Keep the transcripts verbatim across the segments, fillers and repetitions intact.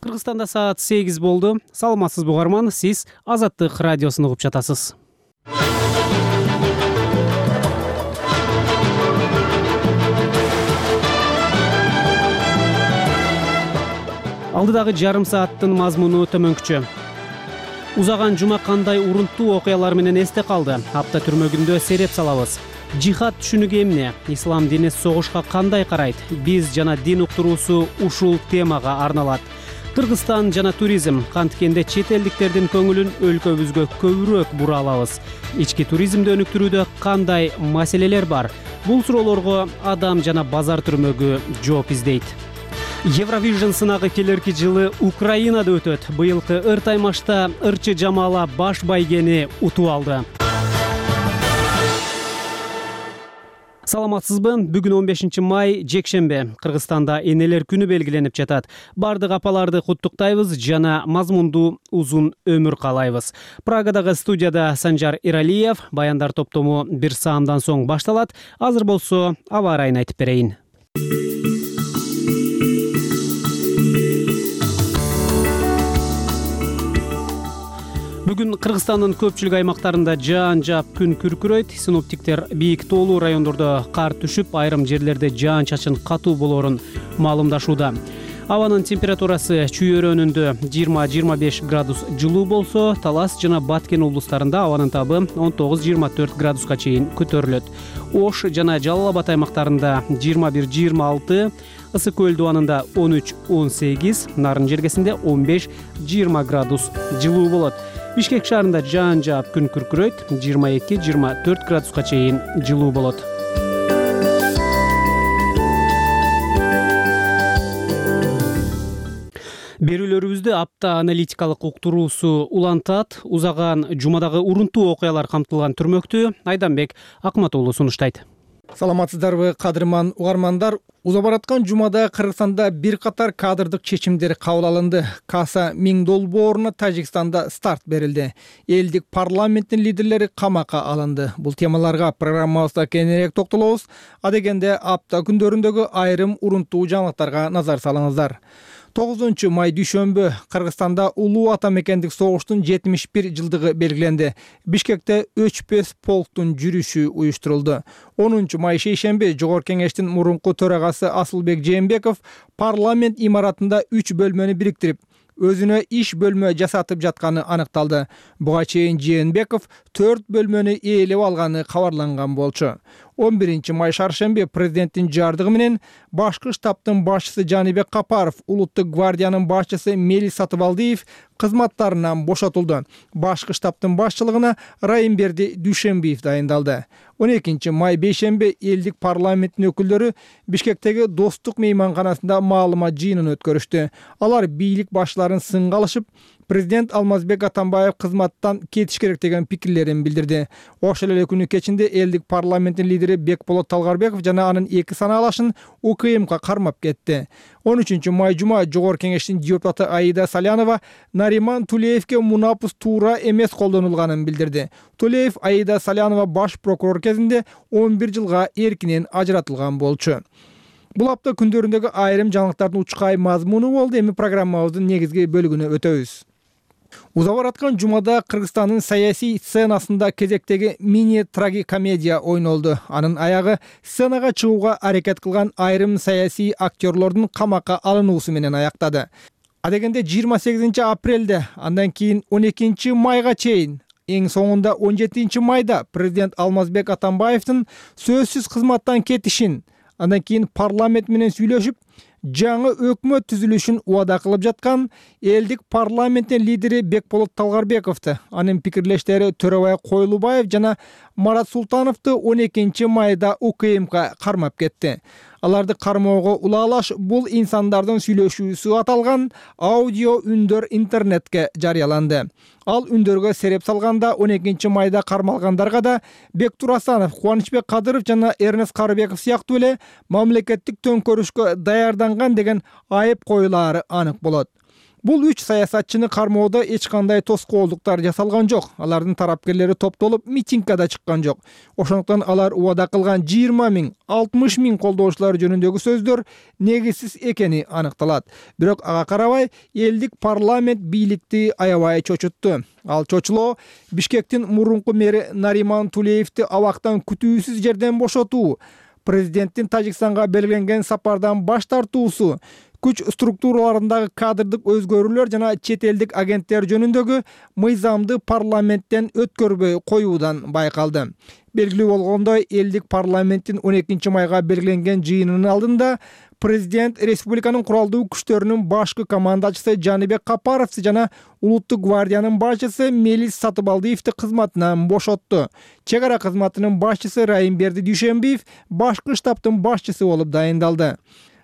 Кыргызстанда саат сегиз болду. Саламатсызбы угарман, сиз Азаттык радиосун угуп жатасыз. Алдыдагы жарым сааттын мазмуну төмөнкүчө. Узаган жума кандай урунттуу окуялар менен эсте калды? Апта түрмөгүндө сереп салабыз. Жихад түшүнүгү эмне? Ислам дини согушка кандай карайт? Биз жана дин уктуруусу ушул темага арналат. Кыргызстан жана туризм, канткенде чет элдиктердин көңүлүн өлкөбүзгө көбүрөөк бура алабыз. Ички туризмди өнүктүрүүдө кандай маселелер бар? Бул суроолорго Адам жана базар түрмөгү жооп издейт. Евровижн сынагы келерки жылы Украинада өтөт. Быйылкы ыр таймашта ырчы Жамала баш байгени утуп алды. Саламатсызбы? Бүгүн он бешинчи май, жекшембе. Кыргызстанда энелер күнү белгиленип жатат. Бардык апаларды куттуктайбыз жана мазмундуу узун өмүр каалайбыз. Прагадагы студияда Санжар Иралиев, баяндар топтому бир саамдан соң башталат. Азыр болсо аба ырайын айтып берейин. Бүгүн Кыргызстандын көпчүлүк аймактарында жаан жаап күн күркүрөйт. Синоптиктер бийик тоолуу райондордо кар түшүп, айрым жерлерде жаан-чачын катуу болоорун маалымдашууда. Абанын температурасы чүйөрөнүндө жыйырма жыйырма беш градус жылуу болсо, Талас жана Баткен облустарында абанын табы он тогуз жыйырма төрт градуска чейин көтөрүлөт. Ош жана Жалал Абад аймактарында жыйырма бир жыйырма алты, Ысык көл дубанында он үч он сегиз, Нарын жергесинде он беш жыйырма градус жылуу болот. Бишкек шаарында жаан жаап күн күркүрөйт, жыйырма эки жыйырма төрт градуска чейин жылуу болот. Берүүлөрүбүздү апта аналитикалык уктуруусу улантат. Узаган жумадагы урунттуу окуялар камтылган түрмөктү Айданбек Акматуулу сунуштайт. Саламатсыздарбы, кадырман угармандар. Уза бараткан жумада Кыргызстанда бир катар кадрдык чечимдер кабыл алынды. Каса миң долбооруна Тажикстанда старт берилди. Элдик парламенттин лидерлери камакка алынды. Бул темаларга программабызда кеңирээк токтолобуз. Адегенде апта күндөрүндөгү айрым урунттуу жаңылыктарга назар салыңыздар. тогузунчу май дүйшөмбү Кыргызстанда улуу ата мекендик согуштун жетимиш бир жылдыгы белгиленди. Бишкекте өчпөс полктун жүрүшү уюштурулду. онунчу май шейшемби Жогорку кеңештин мурунку төрагасы Асылбек Жээнбеков парламент имаратында үч бөлмөнү бириктирип, өзүнө иш бөлмө жасатып жатканы аныкталды. Буга чейин Жээнбеков төрт бөлмөнү ээлеп алганы кабарланган болчу. он биринчи май шаршемби президенттин жардыгы менен башкы штабтын башчысы Жаныбек Капаров, улуттук гвардиянын башчысы Мелис Сатыбалдиев кызматтарынан бошотулду. Башкы штабтын башчылыгына Райымберди Дүйшөнбиев дайындалды. он экинчи май бейшемби элдик парламенттин өкүлдөрү Бишкектеги Достук мейманканасында маалымат жыйынын өткөрүштү. Алар бийлик башчыларын сынга алышып, президент Алмазбек Атамбаев кызматтан кетиш керек деген пикирлерин билдирди. Ошол эле күнү кечинде элдик парламенттин лидери Бекболот Талгарбеков жана анын эки санаалашын УКМК кармап кетти. он үчүнчү май жума Жогорку кеңештин депутаты Аида Салянова Нариман Тулеевке мунапус туура эмес колдонулганын билдирди. Тулеев Аида Салянова баш прокурор кезинде он бир жылга эркинен ажыратылган болчу. Бул апта күндөрүндөгү айрым жаңылыктардын учкай мазмуну болду. Эми программабыздын негизги бөлүгүнө өтөбүз. Уза бараткан жумада Кыргызстандын саясий сценасында кезектеги мини трагикомедия ойнолду. Анын аягы сценага чыгууга аракет кылган айрым саясий актерлордун камакка алынуусу менен аяктады. Адегенде жыйырма сегизинчи апрелде, андан кийин он экинчи майга чейин, эң соңунда он жетинчи майда президент Алмазбек Атамбаевдин сөзсүз кызматтан кетишин, андан кийин парламент менен сүйлөшүп, жаңы өкмөт түзүлүшүн убада кылып жаткан элдик парламенттин лидери Бекболот Талгарбековду, анын пикирлештери Төрөбай Койлубаев жана Марат Султановду он экинчи майда УКМК кармап кетти. Аларды кармоого улаалаш бул инсандардын сүйлөшүүсү аталган аудио үндөр интернетке жарыяланды. Ал үндөргө сереп салганда он экинчи майда кармалгандарга да Бектур Асанов, Кубанычбек Кадыров жана Эрнест Карыбеков сыяктуу эле мамлекеттик төңкөрүшкө даярданган деген айып коюлаары анык болот. Бул үч саясатчыны кармоодо эч кандай тоскоолдуктар жасалган жок. Алардын тарапкерлери топтолуп митингге да чыккан жок. Ошондуктан алар убада кылган жыйырма миң, алтымыш миң колдоочулар жөнүндөгү сөздөр негизсиз экени аныкталат. Бирок ага карабай элдик парламент бийликти аябай чочутту. Ал чочулоо Бишкектин мурунку мэри Нариман Тулеевди абактан күтүүсүз жерден бошотуу, президенттин Тажикстанга белгиленген сапардан баш тартуусу, күч структураларындагы кадрдык өзгөрүүлөр жана чет элдик агенттер жөнүндөгү мыйзамды парламенттен өткөрбөй коюудан байкалды. Белгилүү болгондой, элдик парламенттин он экинчи майга белгиленген жыйынынын алдында президент республиканын куралдуу күчтөрүнүн башкы командачысы Жаныбек Капаров жана Улуттук гвардиянын башчысы Мелис Сатыбалдиевди кызматынан бошотту. Чек ара кызматынын башчысы Райымберди Дүйшөнбиев башкы штабтын башчысы болуп дайындалды.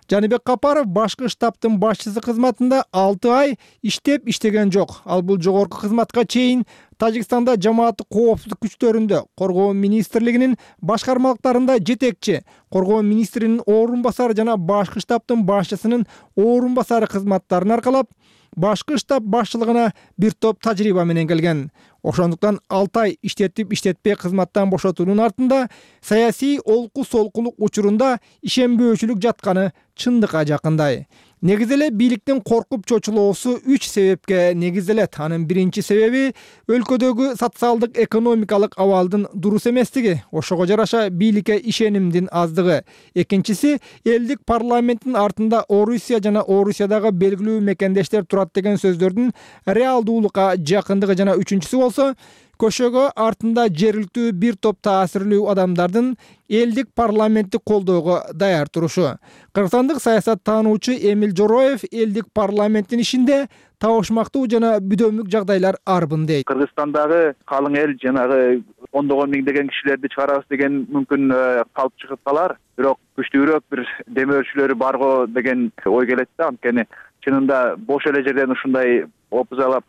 Жаныбек Капаров башкы штабтын башчысы кызматында алты ай иштеп иштеген жок. Ал бул жогорку кызматка чейин Тажикстанда жамааттык коопсуздук күчтөрүндө, коргоо министрлигинин башкармалыктарында жетекчи, коргоо министринин орун басары жана башкы штабтын башчысынын орун басары кызматтарын аркалап, башкы штаб башчылыгына бир топ тажрыйба менен келген. Ошондуктан алты ай иштетип иштетпей кызматтан бошотуунун артында саясий олку солкулук учурунда ишенбөөчүлүк жатканы чындыкка жакындай. Негизи эле бийликтин коркуп чочулоосу үч себепке негизделет. Анын биринчи себеби өлкөдөгү социалдык экономикалык абалдын дурус эместиги, ошого жараша бийликке ишенимдин аздыгы. Экинчиси элдик парламенттин артында Орусия жана Орусиядагы белгилүү мекендештер турат деген сөздөрдүн реалдуулукка жакындыгы жана үчүнчүсү болсо көшөгө артында жергиликтүү бир топ таасирлүү адамдардын элдик парламентти колдоого даяр турушу. Кыргызстандык саясаттануучу Эмил Жороев элдик парламенттин ишинде табышмактуу жана бүдөмүк жагдайлар арбын дейт. Кыргызстандагы калың эл жанагы ондогон миңдеген кишилерди чыгарабыз деген мүмкүн калып чыгып калар. Бирок күчтүүрөөк бир демөөрчүлөрү барго деген ой келет да. Анткени чынында бош эле жерден ушундай опузалап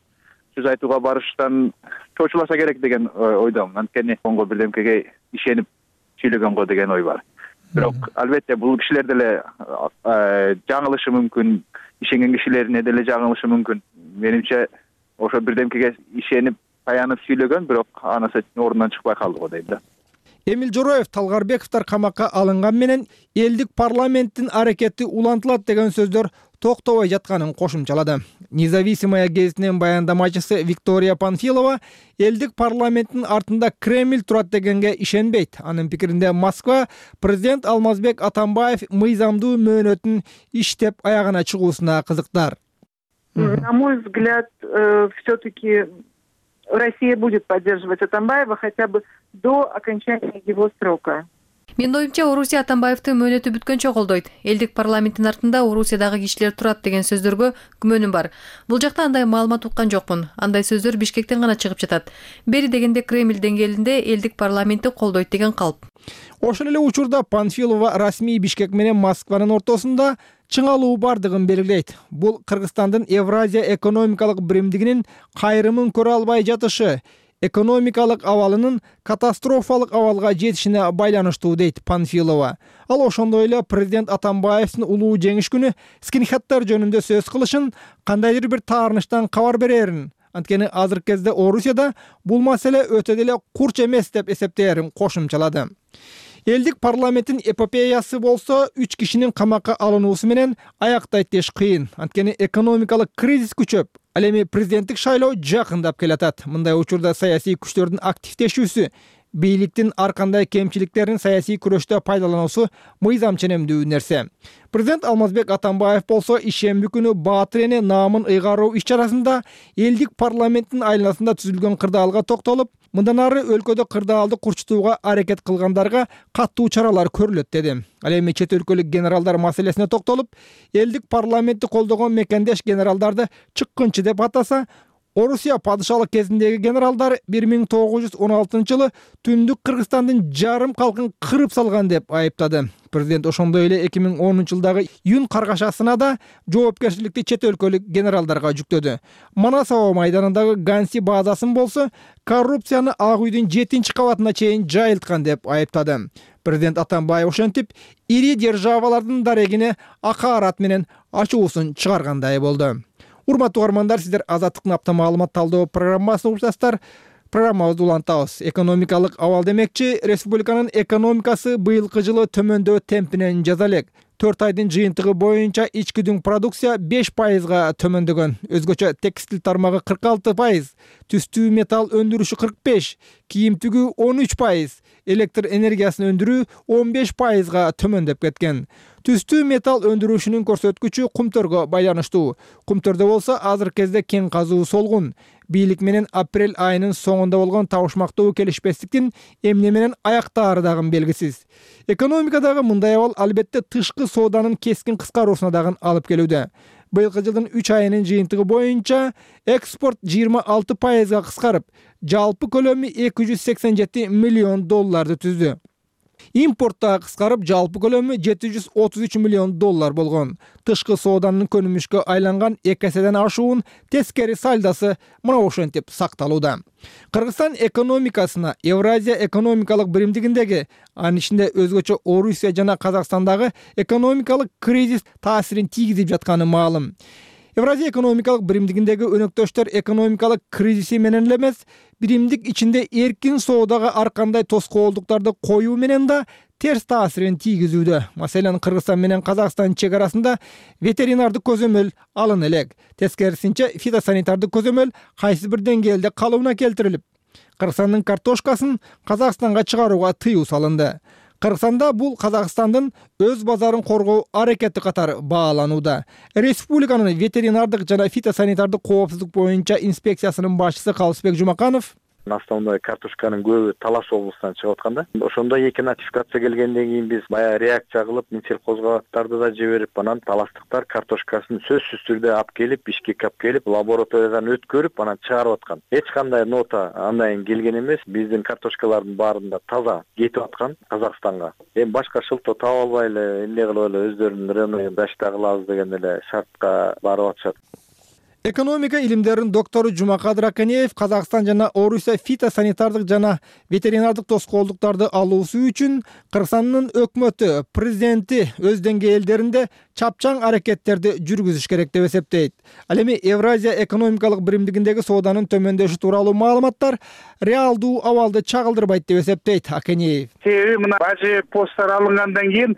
сөз айтууга барыштан чочуласа керек деген ойдомун. Анткени конго бирдемкеге ишенип сүйлөгөн го деген ой бар. Бирок албетте бул кишилер деле жаңылышы мүмкүн, ишенген кишилерин деле жаңылышы мүмкүн. Менимче ошо бирдемкеге ишенип таянып сүйлөгөн, бирок анысы ордунан чыкпай калды го дейм да. Эмил Жороев Талгарбековдор камакка алынган менен элдик парламенттин аракети улантылат деген сөздөр токтобой жатканын кошумчалады. Независимая гезитинин баяндамачысы Виктория Панфилова элдик парламенттин артында Кремль турат дегенге ишенбейт. Анын пикиринде Москва президент Алмазбек Атамбаев мыйзамдуу мөөнөтүн иштеп аягына чыгуусуна кызыктар. На мой взгляд, все-таки Россия будет поддерживать Атамбаева хотя бы до окончания его срока. Менин оюмча, Орусия Атамбаевдин мөөнөтү бүткөнчө колдойт. Элдик парламенттин артында Орусиядагы кишилер турат деген сөздөргө күмөнүм бар. Бул жакта андай маалымат уккан жокмун. Андай сөздөр Бишкектен гана чыгып жатат. Бери дегенде Кремль деңгээлинде элдик парламентти колдойт деген калп. Ошол эле учурда Панфилова расмий Бишкек менен Москванын ортосунда чыңалуу бардыгын белгилейт. Бул Кыргызстандын Евразия экономикалык биримдигинин кайрымын көрө албай жатышы, экономикалык абалынын катастрофалык абалга жетишине байланыштуу дейт Панфилова. Ал ошондой эле президент Атамбаевдин улуу жеңиш күнү скинхеддер жөнүндө сөз кылышын, кандайдыр бир таарынычтан кабар берерин, анткени азыркы кезде Орусияда бул маселе өтө деле курч эмес деп эсептээрин кошумчалады. Элдик парламенттин эпопеясы болсо үч кишинин камакка алынуусу менен аяктайт деш кыйын. Анткени экономикалык кризис күчөп, ал эми президенттик шайлоо жакындап келатат. Мындай учурда саясий күчтөрдүн активдешүүсү, бийликтин ар кандай кемчиликтерин саясий күрөштө пайдалануусу мыйзам ченемдүү нерсе. Президент Алмазбек Атамбаев болсо ишемби күнү Баатыр эне наамын ыйгаруу иш-чарасында элдик парламенттин айланасында түзүлгөн кырдаалга токтолуп, мындан ары өлкөдө кырдаалды курчутууга аракет кылгандарга каттуу чаралар көрүлөт деди. Ал эми чет өлкөлүк генералдар маселесине токтолуп, элдик парламентти колдогон мекендеш генералдарды чыккынчы деп атаса, Орусия падышалык кезиндеги генералдар бир миң тогуз жүз он алтынчы жылы түндүк Кыргызстандын жарым калкын кырып салган деп айыптады. Президент ошондой эле эки миң онунчу жылдагы июнь каргашасына да жоопкерчиликти чет өлкөлүк генералдарга жүктөдү. Манасоо майданындагы Ганси базасын болсо коррупцияны Ак үйдүн жетинчи кабатына чейин жайылткан деп айыптады. Президент Атамбаев ошентип ири державалардын дарегине акаарат менен ачуусун чыгаргандай болду. Урматтуу угармандар, сиздер Азаттыктын апта маалымат талдоо программасын угуп жатасыздар. Программабызды улантабыз. Экономикалык абал демекчи, республиканын экономикасы быйылкы жылы төмөндөө темпинен жаза элек. төрт айдын жыйынтыгы боюнча ички дүң продукция беш пайызга төмөндөгөн. Өзгөчө текстиль тармагы кырк алты пайыз, түстүү металл өндүрүшү кырк беш, кийим тигүү он үч пайыз, электр энергиясын өндүрүү он беш пайызга төмөндөп кеткен. Түстүү металл өндүрүшүнүн көрсөткүчү кумтөргө байланыштуу. Кумтөрдө болсо азыркы кезде кен казуу солгун. Бийлик менен апрель айынын соңунда болгон табышмактуу келишпестиктин эмне менен аяктаары дагы белгисиз. Экономикадагы мындай абал албетте тышкы сооданын кескин кыскаруусуна дагы алып келүүдө. Быйылкы жылдын үч айынын жыйынтыгы боюнча экспорт жыйырма алты пайызга кыскарып, жалпы көлөмү эки жүз сексен жети миллион долларды түздү. Импорт да кыскарып, жалпы көлөмү жети жүз отуз үч миллион доллар болгон. Тышкы сооданын көнүмүшкө айланган эки эседен ашуун тескери сальдосы мына ошентип сакталууда. Кыргызстан экономикасына Евразия экономикалык биримдигиндеги, анын ичинде өзгөчө Орусия жана Казакстандагы экономикалык кризис таасирин тийгизип жатканы маалым. Евразия экономикалык биримдигиндеги өнөктөштөр экономикалык кризиси менен эле эмес, биримдик ичинде эркин соодага ар кандай тоскоолдуктарды коюу менен да терс таасирин тийгизүүдө. Маселен, Кыргызстан менен Казакстан чек арасында ветеринардык көзөмөл алына элек. Тескерисинче, фитосанитардык көзөмөл кайсы бир деңгээлде калыбына келтирилип, Кыргызстандын картошкасын Казакстанга чыгарууга тыюу салынды. Кыргызстанда бул Казакстандын өз базарын коргоо аракети катары бааланууда. Республиканын ветеринардык жана фитосанитардык коопсуздук боюнча инспекциясынын башчысы Калысбек Жумаканов основной картошканын көбү Талас облусунан чыгып атканда, ошондо эки нотификация келгенден кийин биз баягы реакция кылып, Минсельхозгаттарды да жиберип, анан таластыктар картошкасын сөзсүз түрдө алып келип, Бишкекке алып келип, лабораториядан өткөрүп, анан чыгарып аткан. Эч кандай нота андан келген эмес. Биздин картошкалардын баарында таза кетип аткан Казакстанга. Эми башка шылтоо таба албай эле эмне кылып эле өздөрүнүн рыногун дашта кылабыз деген эле шартка барып атышат. Экономика илимдеринин доктору Жумакадыр Аканеев Казакстан жана Орусия фитосанитардык жана ветеринардык тоскоолдуктарды алуусу үчүн Кыргызстандын өкмөтү, президенти өз деңгээлдеринде чапчаң аракеттерди жүргүзүш керек деп эсептейт. Ал эми Евразия экономикалык биримдигиндеги сооданын төмөндөшү тууралуу маалыматтар реалдуу абалды чагылдырбайт деп эсептейт Аканеев. Себеби мына бажы посттар алынгандан кийин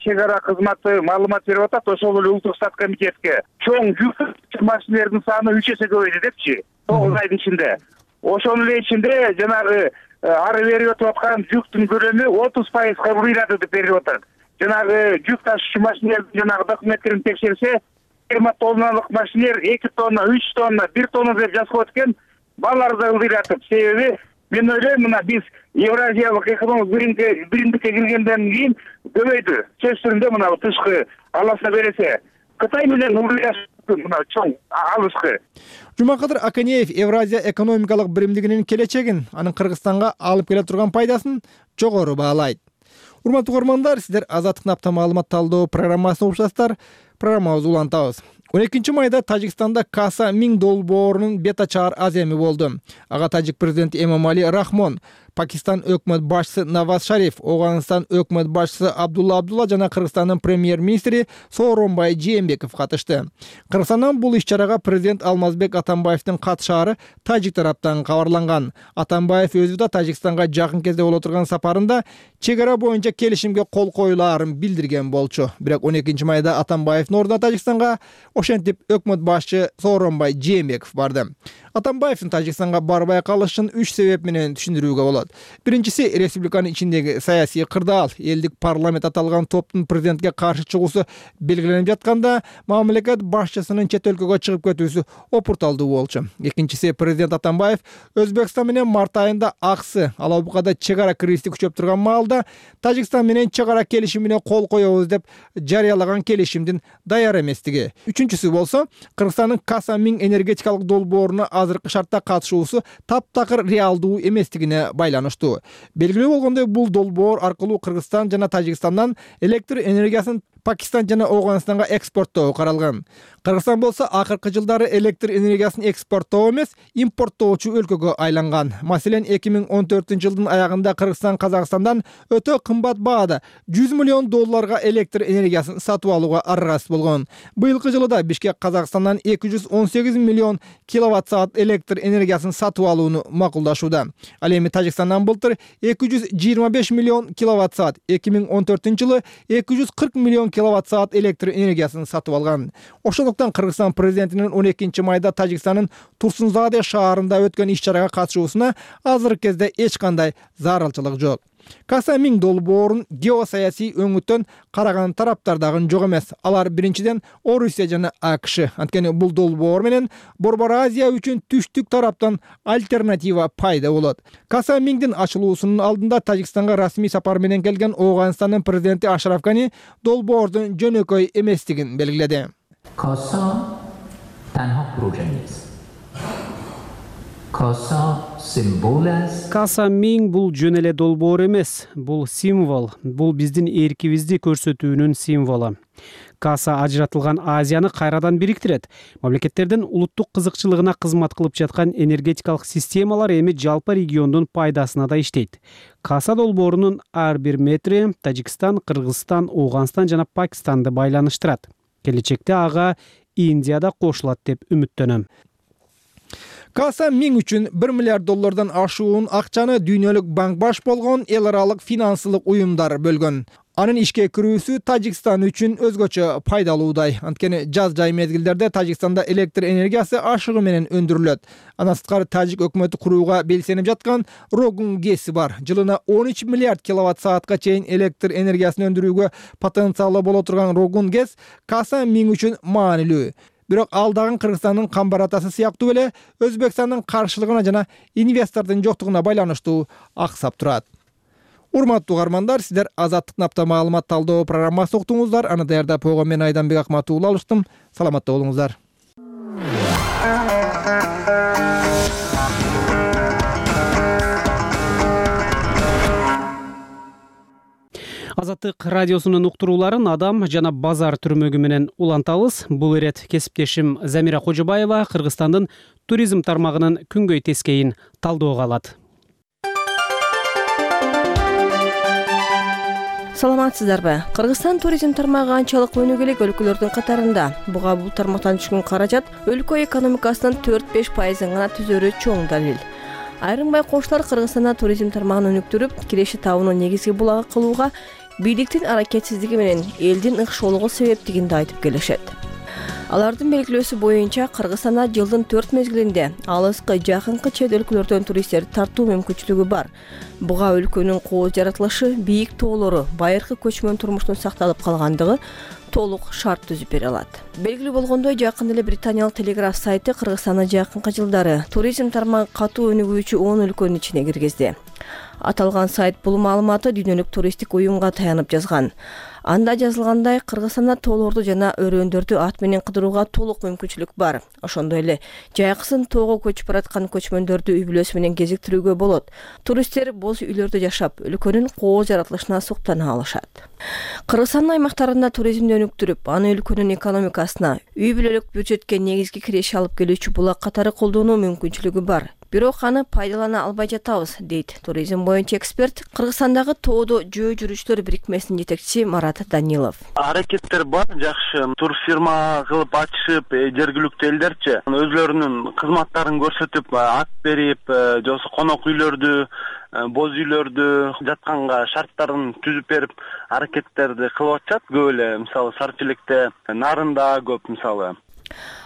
чек ара кызматы маалымат берип атат, ошол эле улуттук стат комитетке. Чоң жүк машиналердин саны үч эсе көбөйдү депчи, тогуз айдын ичинде. Ошонун эле ичинде жанагы ары берип өтүп аткан жүктүн көлөмү отуз пайызга ырыйлады деп берип атат. Жанагы жүк ташуучу машиналердин жанагы документтерин текшерсе, жыйырма тонналык машинелер эки тонна, үч тонна, бир тонна деп жазып өткөн, балар да ылдыйратып. Себеби мен ойлойм, мына биз Евразиялык экономикалык биримдикке киргенден кийин көбөйдү. Сөз түрүндө мына тышкы аласа бересе, Кытай менен ылдыйрашып мына чоң алышкы. Жумакадыр Аканеев Евразия экономикалык биримдигинин келечегин, анын Кыргызстанга алып келе турган пайдасын жогору баалайт. Урматтуу угармандар, сиздер Азаттыктын апта маалымат талдоо программасын угуп жатасыздар. Программабызды улантабыз. он экинчи майда Тажикстанда Каса Миң долбоорунун бет ачаар аземи болду. Ага тажик президенти Эмомали Рахмон, Пакистан өкмөт башчысы Наваз Шариф, Оганстан өкмөт башчысы Абдулла Абдулла жана Кыргызстандын премьер-министри Сооронбай Жээнбеков катышты. Кыргызстандан бул иш-чарага президент Алмазбек Атамбаевдин катышаары тажик тараптан кабарланган. Атамбаев өзү да Тажикстанга жакын кезде боло турган сапарында чек ара боюнча келишимге кол коюлаарын билдирген болчу. Бирок он экинчи майда Атамбаевдин ордуна Тажикстанга ошентип өкмөт башчы Сооронбай Жээнбеков барды. Атамбаевдин Тажикстанга барбай калышын үч себеп менен түшүндүрүүгө болот. Биринчиси, республиканын ичиндеги саясий кырдаал. Элдик парламент аталган топтун президентке каршы чыгуусу белгиленип жатканда, мамлекет башчысынын чет өлкөгө чыгып кетүүсү опурталдуу болчу. Экинчиси, президент Атамбаев Өзбекстан менен март айында аксы Алабукада чек ара кризиси күчөп турган маалда Тажикстан менен чек ара келишимине кол коебуз деп жарыялаган келишимдин даяр эместиги. Үчүнчүсү болсо, Кыргызстандын Каса Миң энергетикалык долбооруна азыркы шартта катышуусу таптакыр реалдуу эместигине байланыштуу. Белгилүү болгондой, бул долбоор аркылуу Кыргызстан жана Тажикстандан электр энергиясын Пакистан жана Ооганстанга экспорттоо каралган. Кыргызстан болсо акыркы жылдары электр энергиясын экспорттоо эмес, импорттоочу өлкөгө айланган. Маселен, эки миң он төртүнчү жылдын аягында Кыргызстан Казакстандан өтө кымбат баада жүз миллион долларга электр энергиясын сатып алууга аргасыз болгон. Быйылкы жылы да Бишкек Казакстандан эки жүз он сегиз миллион киловатт саат электр энергиясын сатып алууну макулдашууда. Ал эми Тажикстандан былтыр эки жүз жыйырма беш миллион киловатт саат, эки миң он төртүнчү жылы эки жүз кырк миллион киловатт саат электр энергиясын сатып алган. Ошондуктан Кыргызстан президентинин он экинчи майда Тажикстандын Турсунзаде шаарында өткөн иш-чарага катышуусуна азыркы кезде эч кандай зарылчылык жок. Каса миң долбоорун геосаясий өңүттөн караган тараптар дагы жок эмес. Алар биринчиден Орусия жана АКШ. Анткени бул долбоор менен Борбор Азия үчүн түштүк тараптан альтернатива пайда болот. Каса миңдин ачылуусунун алдында Тажикстанга расмий сапар менен келген Ооганстандын президенти Ашраф Гани долбоордун жөнөкөй эместигин белгиледи. Kasa tanha proje نیست. Kasa simbol است. Каса миң бул жөн эле долбоор эмес, бул символ, бул биздин эркибизди көрсөтүүнүн символу. Каса ажыратылган Азияны кайрадан бириктирет. Мамлекеттердин улуттук кызыкчылыгына кызмат кылып жаткан энергетикалык системалар эми жалпы региондун пайдасына да иштейт. Каса долбоорунун ар бир метри Тажикстан, Кыргызстан, Ооганстан жана Пакистанды байланыштырат. Келечекте ага Индия да кошулат деп үмүттөнөм. Каса миң үчүн бир миллиард доллардан ашуун акчаны дүйнөлүк банк баш болгон эл аралык финансылык уюмдар бөлгөн. Анын ишке кирүүсү Тажикстан үчүн өзгөчө пайдалуудай. Анткени жаз жай мезгилдерде Тажикстанда электр энергиясы ашыгы менен өндүрүлөт. Андан сырткары Тажик өкмөтү курууга белсенип жаткан Рогун гэси бар. Жылына он үч миллиард киловатт саатка чейин электр энергиясын өндүрүүгө потенциалы боло турган Рогун гэс Каса миң үчүн маанилүү. Бирок ал дагы Кыргызстандын камбар-атасы сыяктуу эле Өзбекстандын каршылыгына жана инвестордун жоктугуна байланыштуу аксап турат. Урматтуу угармандар, сиздер Азаттык напта маалымат талдоо программасын уктуңуздар. Аны даярдап койгон мен Айданбек Акматуулла алыштым. Саламатта болуңуздар. Азаттык радиосунун уктурууларын Адам жана Базар түрмөгү менен улантабыз. Бул ирет кесиптешим Замира Кожобаева Кыргызстандын туризм тармагынын күнгөй тескейин талдөөгө алат. Саламатсыздарбы? Кыргызстан туризм тармагы анчалык өнүгүлүк өлкөлөрдүн катарында. Буга бул тармактан түшкөн каражат өлкө экономикасынын төрт-беш пайызын гана түзөрү чоң далил. Айрым байкоочулар Кыргызстанда туризм тармагын өнүктүрүп, киреши табууну негизги булагы кылууга бийликтин аракетсиздиги менен элдин ыкшоолугу себептигин айтып келишет. Алардын белгилөөсү боюнча Кыргызстанда жылдын төрт мезгилинде алыскы, жакынкы чет өлкөлөрдөн туристтерди тартуу мүмкүнчүлүгү бар. Буга өлкөнүн кооз жаратылышы, бийик тоолору, байыркы көчмөн турмуштун сакталып калгандыгы толук шарт түзүп бере алат. Белгилүү болгондой, жакында эле британиялык Телеграф сайты Кыргызстанда жакынкы жылдары туризм тармагы катуу өнүгүүчү он өлкөнүн ичине киргизди. Аталган сайт бул маалыматты дүйнөлүк туристтик уюмга таянып жазган. Анда жазылгандай, Кыргызстанда тоолорду жана өрөөндөрдү ат менен кыдырууга толук мүмкүнчүлүк бар. Ошондой эле жайкысын тоого көчүп бараткан көчмөндөрдү үй бүлөсү менен кезиктирүүгө болот. Туристтер боз үйлөрдө жашап, өлкөнүн кооз жаратылышына суктана алышат. Кыргызстандын аймактарында туризмди өнүктүрүп, аны өлкөнүн экономикасына, үй бүлөлүк бюджетке негизги киреше алып келүүчү булак катары колдонуу мүмкүнчүлүгү бар. Бирок аны пайдалана албай жатабыз, дейт туризм боюнча эксперт, Кыргызстандагы тоодо жөө жүрүүчүлөр бирикмесинин жетекчиси Марат Данилов. Аракеттер бар, жакшы турфирма кылып ачышып, жергиликтүү элдерчи өзлөрүнүн кызматтарын көрсөтүп, ат берип, же болбосо конок үйлөрдү, боз үйлөрдү жатканга шарттарын түзүп берип, аракеттерди кылып атышат. Көп эле, мисалы, Сарчеликте, Нарында көп, мисалы.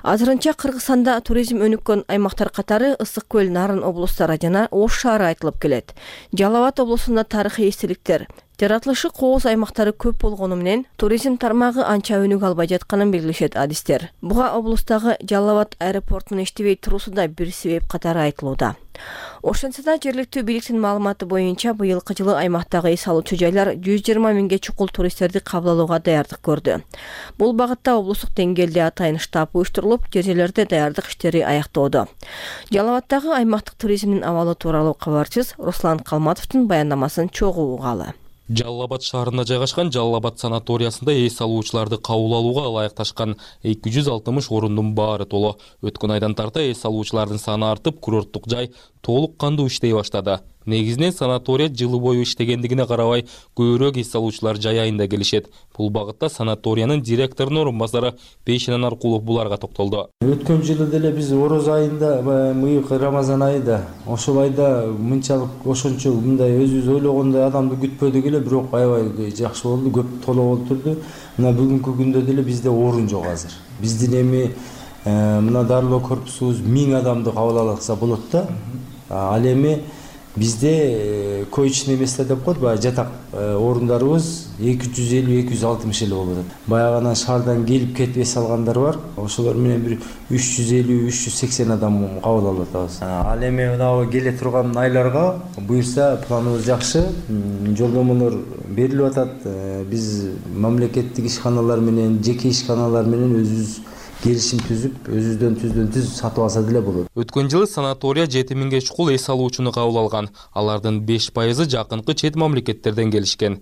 Азырынча Кыргызстанда туризм өнүккөн аймактар катары Ысык көл, Нарын облустары жана Ош шаары айтылып келет. Жалал Абад облусунда тарыхый эстеликтер, жаратылышы кооз аймактары көп болгону менен туризм тармагы анча өнүгө албай жатканын белгилешет адистер. Буга облустагы Жалал Абад аэропортунун иштебей туруусу да бир себеп катары айтылууда. Ошентсе да жергиликтүү бийликтин маалыматы боюнча быйылкы жылы аймактагы эс алуучу жайлар жүз жыйырма миңге чукул туристтерди кабыл алууга даярдык көрдү. Бул багытта облустук деңгээлде атайын штаб уюштурулуп, жер жерлерде даярдык иштери аяктоодо. Жалал Абадтагы аймактык туризмдин абалы тууралуу кабарчыбыз Руслан Калматовдун баяндамасын чогуу угалы. Жалал Абад шаарында жайгашкан Жалал Абад санаториясында эс алуучуларды кабыл алууга ылайыкташкан эки жүз алтымыш орундун баары толо. Өткөн айдан тарта эс алуучулардын саны артып, курорттук жай толук кандуу иштей баштады. Негизинен санатория жылы бою иштегендигине карабай, көбүрөөк эс алуучулар жай айында келишет. Бул багытта санаториянын директорунун орун басары Бейшенен Аркулов буларга токтолду. Өткөн жылы деле биз Ороз айында, мыйык Рамазан айында, ошол айда мынчалык ошончо мындай өзүбүз ойлогондой адамды күтпөдүк эле, бирок аябай жакшы болду, көп толо болуп турду. Мына бүгүнкү күндө деле бизде орун жок азыр. Биздин эми мына дарылоо корпусубуз миң адамды кабыл алса болот да. Ал эми бизде коечный место деп коет, баягы жатак орундарыбыз эки жүз элүү эки жүз алтымыш эле болуп атат. Баягы шаардан келип кетип эс алгандар бар. Ошолор менен бир үч жүз элүү үч жүз сексен адам кабыл алып атабыз. Ал эми мына келе турган айларга буюрса планыбыз жакшы. Жолдомолор берилип атат. Биз мамлекеттик ишканалар менен, жеке ишканалар менен өзүбүз келишим түзүп, өзүбүздөн түздөн түз сатып алса деле болот. Өткөн жылы санатория жети миңге чукул эс алуучуну кабыл алган. Алардын беш пайызы жакынкы чет мамлекеттерден келишкен.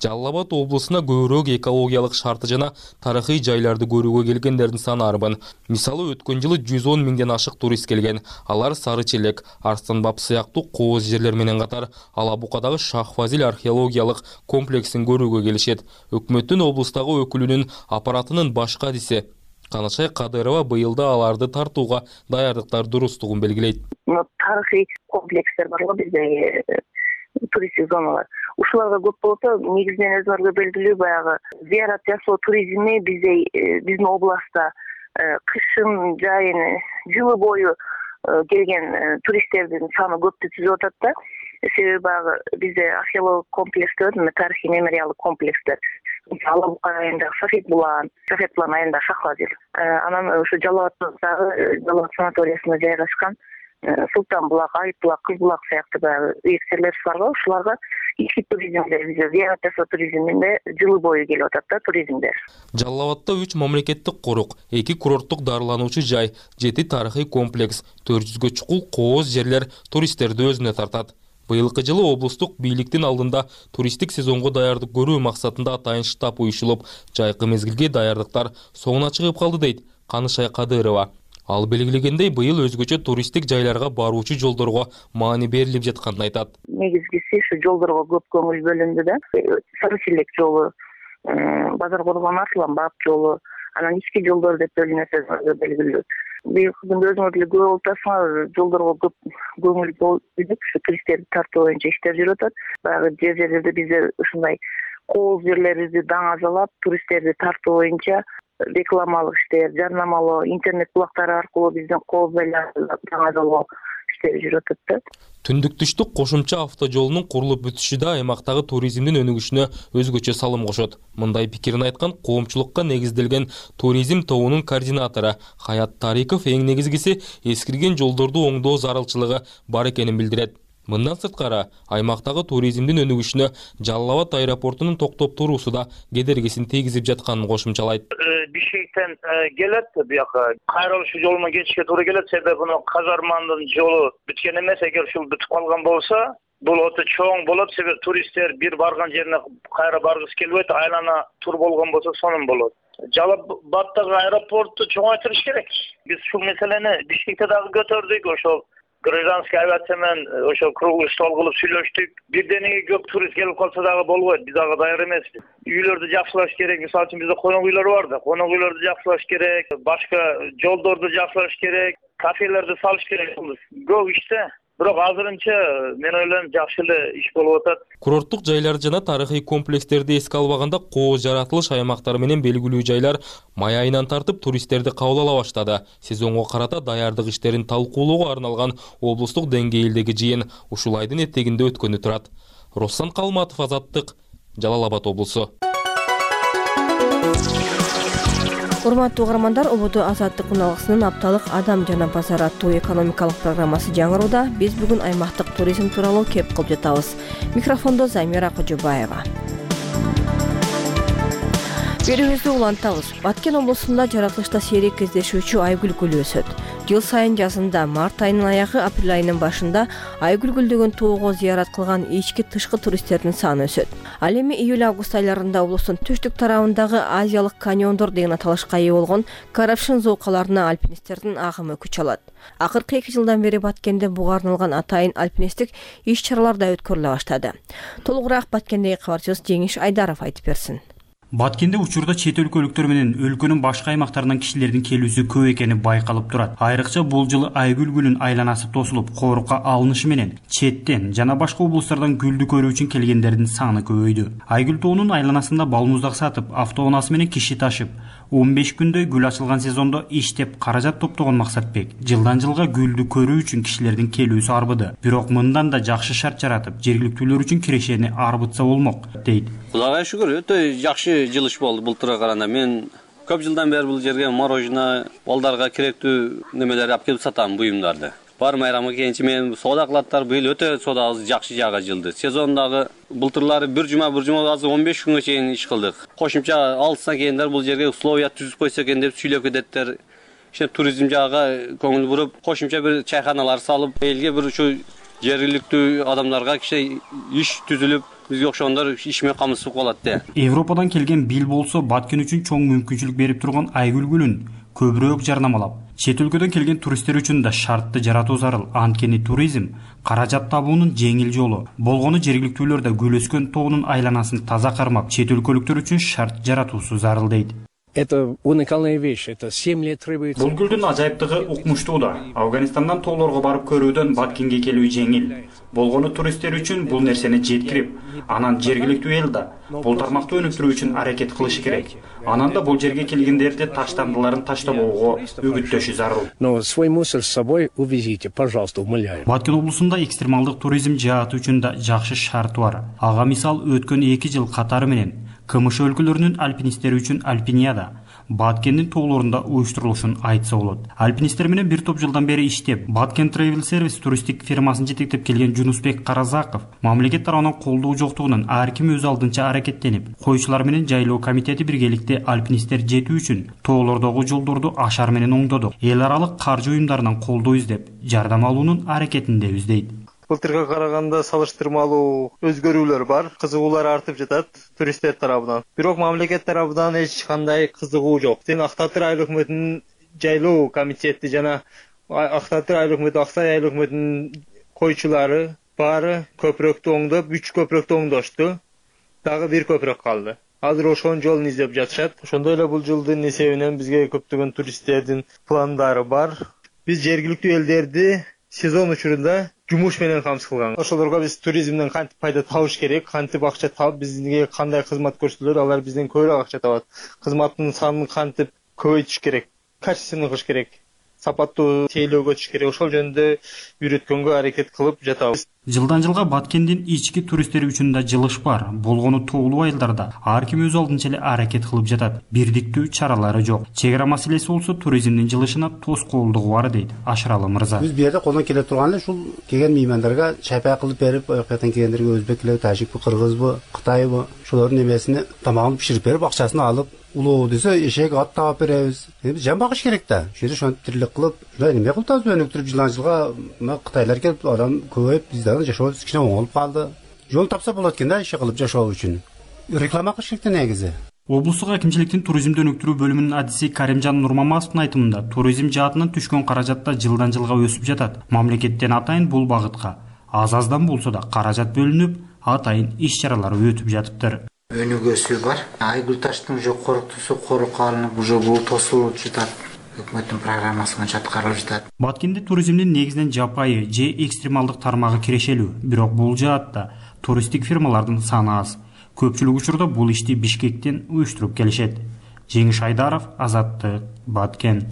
Жалал Абад облусуна көбүрөөк экологиялык шарты жана тарыхый жайларды көрүүгө келгендердин саны арбын. Мисалы, өткөн жылы жүз он миңден ашык турист келген. Алар Сары Челек, Арстанбап сыяктуу кооз жерлер менен катар Ала Букадагы Шах Фазил археологиялык комплексин көрүүгө келишет. Өкмөттүн облустагы өкүлүнүн аппаратынын баш кадиси Канышай Кадырова быйылда аларды тартууга даярдыктар дурустугун белгилейт. Тарыхый комплекстер бар го бизде, туристтик зоналар. Ушуларга көп болсо, негизинен өзүңөргө белгилүү баягы зыярат жасоо туризми бизде биздин областта кышын жайын жылы бою келген туристтердин саны көптү түзүп атат да. Себеби баягы бизде археологик комплекстер, тарыхый мемориалдык комплекстер. Ала Бука айында Шафет Булан, Шафет Булан айында Шах Фазил. Анан ушу Жалал Абаддагы Жалал Абад санаториясында жайгашкан Султан Булак, Айып Булак, Кыз Булак сыяктуу баягы жерлер бар го. Ушуларга ички туризмде, зыярат жасоо туризминде жылы бою келип атат да туризмдер. Жалал Абадда үч мамлекеттик корук, эки курорттук дарылануучу жай, жети тарыхый комплекс, төрт жүзгө чукул кооз жерлер туристтерди өзүнө тартат. Быйылкы жылы облустук бийликтин алдында туристтик сезонго даярдык көрүү максатында атайын штаб уюшулуп, жайкы мезгилге даярдыктар соңуна чыгып калды дейт Канышай Кадырова. Ал белгилегендей, быйыл өзгөчө туристтик жайларга баруучу жолдорго маани берилип жатканын айтат. Негизгиси ушу жолдорго көп көңүл бөлүндү да. Сары Челек жолу, Базар Коргон Арсланбап жолу, анан ички жолдор деп бөлүнөт, белгилүү. Быйылкы күндө өзүңөр деле көрүп атасыңар, жолдорго көп көңүл бөлүп, ушу туристтерди тартуу боюнча иштер жүрүп атат. Баягы жер жерлерде бизде ушундай кооз жерлерибизди даңазалап, туристтерди тартуу боюнча рекламалык иштер, жарнамалоо, интернет булактары аркылуу биздин кооз жайларды даңазалоо иштери жүрүп атат да. Түндүк түштүк кошумча автожолунун курулуп бүтүшү да аймактагы туризмдин өнүгүшүнө өзгөчө салым кошот. Мындай пикирин айткан коомчулукка негизделген туризм тобунун координатору Хаят Тариков эң негизгиси эскирген жолдорду оңдоо зарылчылыгы бар экенин билдирет. Мындан сырткары, аймактагы туризмдин өнүгүшүнө Жалал Абад аэропортунун токтоп туруусу да кедергисин тийгизип жатканын кошумчалайт. Бишкектен келет, бияка кайрылыш жолуна кетишке туура келет, себеби мына Казармандын жолу бүткөн эмес. Эгер ушул бүтүп калган болсо, бул өтө чоң болот, себеби туристтер бир барган жерине кайра баргысы келбейт, айлана тур болгон болсо сонун болот. Жалал Абаддагы аэропорту чоңойтуруш керек. Биз ушул маселени Бишкекте дагы көтөрдүк, ошол гражданский авиация менен ошо круглый стол кылып сүйлөштүк. Бирденеге көп турист келип калса дагы болбойт. Биз дагы даяр эмеспиз. Үйлөрдү жакшылаш керек. Мисалы үчүн бизде конок үйлөр бар да. Конок үйлөрдү жакшылаш керек. Башка жолдорду жакшылаш керек. Кафелерди салыш керек. Көп иште. Бирок азырынча мен ойлойм жакшы эле иш болуп атат. Курорттук жайлар жана тарыхый комплекстерди эске албаганда кооз жаратылыш аймактары менен белгилүү жайлар май айынан тартып туристтерди кабыл ала баштады. Сезонго карата даярдык иштерин талкуулоого арналган облустук деңгээлдеги жыйын ушул айдын этегинде өткөнү турат. Руслан Калматов, Азаттык, Жалал Абад облусу. Урматтуу угармандар, Ободо Азаттык уналгысынын апталык Адам жана базар аттуу экономикалык программасы жаңырууда. Биз бүгүн аймактык туризм тууралуу кеп кылып жатабыз. Микрофондо Замира Кожобаева. Берүүбүздү улантабыз. Баткен облусунда жаратылышта сейрек кездешүүчү айгүл гүлү өсөт. Жыл сайын жазында март айынын аягы, апрель айынын башында айгүл гүлдөгөн тоого зыярат кылган ички тышкы туристтердин саны өсөт. Ал эми июль-август айларында облустун түштүк тарабындагы Азиялык каньондор деген аталышка ээ болгон Карапшин зоокаларына альпинисттердин агымы күч алат. Акыркы эки жылдан бери Баткенде буга арналган атайын альпинисттик иш-чаралар да өткөрүлө баштады. Толугураак Баткендеги кабарчыбыз Жеңиш Айдаров айтып берсин. Баткенде учурда чет өлкөлүктөр менен өлкөнүн башка аймактарынан кишилердин келүүсү көп экени байкалып турат. Айрыкча бул жылы айгүл гүлүн айланасы тосулуп, коорукка алынышы менен четтен жана башка облустардан гүлдү көрүү үчүн келгендердин саны көбөйдү. Айгүл тоонун айланасында балмуздак сатып, автоунаасы менен киши ташып, он беш күндөй гүл ачылган сезондо иштеп каражат топтогон Максатбек жылдан жылга гүлдү көрүү үчүн кишилердин келүүсү арбыды. Бирок мындан да жакшы шарт жаратып, жергиликтүүлөр үчүн кирешени арбытса болмок, дейт. Кудайга шүгүр, өтө жакшы жылыш болду былтырга караганда. Мен көп жылдан бери бул жерге мороженое, балдарга керектүү немелерди алып келип сатам, буюмдарды. Бар майрамга келинчи мен соода кылаттар, быйыл өтө соодабыз жакшы жага жылды. Сезондагы былтырлары бир жума бир жума азыр он беш күнгө чейин иш кылдык. Кошумча алыстан келгендер бул жерге условия түзүп койсо экен деп сүйлөп кететтер. Ишte туризм жагы көңүл буруп, кошумча бир чайханалар салып, элге бир ушу жергиликтүү адамдарга кичи иш түзүлүп, бизге окшогондор иш менен камсызып калат да. Европадан келген бил болсо Баткен үчүн чоң мүмкүнчүлүк берип турган айгүл гүлүн көбүрөөк жарнамалап, чет өлкөдөн келген туристтер үчүн да шартты жаратуу зарыл. Анткени туризм каражат табуунун жеңил жолу. Болгону жергиликтүүлөр да гүл өскөн тоонун айланасын таза кармап, чет өлкөлүктөр үчүн шарт жаратуусу зарыл дейт. Это уникальная вещь, это семь лет требуется. Бул гүлдүн ажайыптыгы укмуштуу да. Афганистандан тоолорго барып көрүүдөн Баткенге келүү жеңил. Болгону туристтер үчүн бул нерсени жеткирип, анан жергиликтүү эл да бул тармакты өнүктүрүү үчүн аракет кылышы керек. Анан да бул жерге келгендерди таштандыларын таштабоого үгүттөшү зарыл. Но свой мусор с собой увезите, пожалуйста, умоляю. Баткен облусунда экстремалдык туризм жааты үчүн да жакшы шарт бар. Ага мисал өткөн эки жыл катары менен КМШ өлкөлөрүнүн альпинисттери үчүн Альпинияда Баткендин тоолорунда уюштурулушун айтса болот. Альпинисттер менен бир топ жылдан бери иштеп, Баткен Travel Service туристтик фирмасын жетектеп келген Жунусбек Каразаков мамлекет тарабынан колдоо жоктугунан ар ким өз алдынча аракеттенип, койчулар менен жайлоо комитети биргеликте альпинисттер жетүү үчүн тоолордогу жолдорду ашар менен оңдоду. Эл аралык каржы уюмдарынан колдоо издеп, жардам алуунун аракетиндебиз дейт. Былтырга караганда салыштырмалуу өзгөрүүлөр бар, кызыгуулар артып жатат туристтер тарабынан. Бирок мамлекет тарабынан эч кандай кызыгуу жок. Сен Актатыр айыл өкмөтүнүн жайлоо комитети жана Актатыр айыл өкмөтү, Аксай айыл өкмөтүнүн койчулары баары көпүрөктү оңдоп, үч көпүрөктү оңдошту. Дагы бир көпүрөк калды. Азыр ошонун жолун издеп жатышат. Ошондой эле бул жылдын эсебинен бизге көптөгөн туристтердин пландары бар. Биз жергиликтүү элдерди сезон учурунда жумуш менен камсыз кылган. Ошолорго биз туризмден кантип пайда табыш керек, кантип акча табып, бизге кандай кызмат көрсөтүлөт, алар бизден көбүрөөк акча табат. Кызматтын санын кантип көбөйтүш керек, качественно кылыш керек, сапаттуу тейлөөгө өтүш керек. Ошол жөнүндө үйрөткөнгө аракет кылып жатабыз. Жылдан жылга Баткендин ички туристтери үчүн да жылыш бар. Болгону тоолуу айылдарда ар ким өз алдынча эле аракет кылып жатат. Бирдиктүү чаралары жок. Чек ара маселеси болсо туризмдин жылышына тоскоолдугу бар дейт Ашыралы мырза. Биз бу жерде колдон келе турган эле ушул келген меймандарга чайпай кылып берип, аяктан келгендерге өзбекпи, тажикпи, кыргызбы, кытайбы, ошолордун немесини тамагын биширип берип, акчасын алып, улоо десе эшек ат таап беребиз. Биз жан багыш керек да. Ошол жерде ошентип тирилик кылып, ушундай неме кылып атабыз, өнүктүрүп жылдан жылга мына кытайлар келип, адам көбөйүп, бизде жашообуз кичине оңолуп калды. Жол тапса болот экен да, иши кылып жашоо үчүн. Реклама кылыш керек да негизи. Облустук акимчиликтин туризмди өнүктүрүү бөлүмүнүн адиси Каримжан Нурмаматовдун айтымында, туризм жаатынан түшкөн каражат да жылдан жылга өсүп жатат. Мамлекеттен атайын бул багытка аз-аздан болсо да каражат бөлүнүп, атайын иш-чаралар өтүп жатыптыр. Өнүгүүсү бар. Айгүл таштын уже коруктусу корукка алынып, уже бул тосулуп жатат. Өкмөттүн программасы боюнча аткарылып жатат. Баткенде туризмдин негизинен жапайы же экстремалдык тармагы кирешелүү, бирок бул жаатта туристтик фирмалардын саны аз. Көпчүлүк учурда бул ишти Бишкектен уюштуруп келишет. Жеңиш Айдаров, Азаттык, Баткен.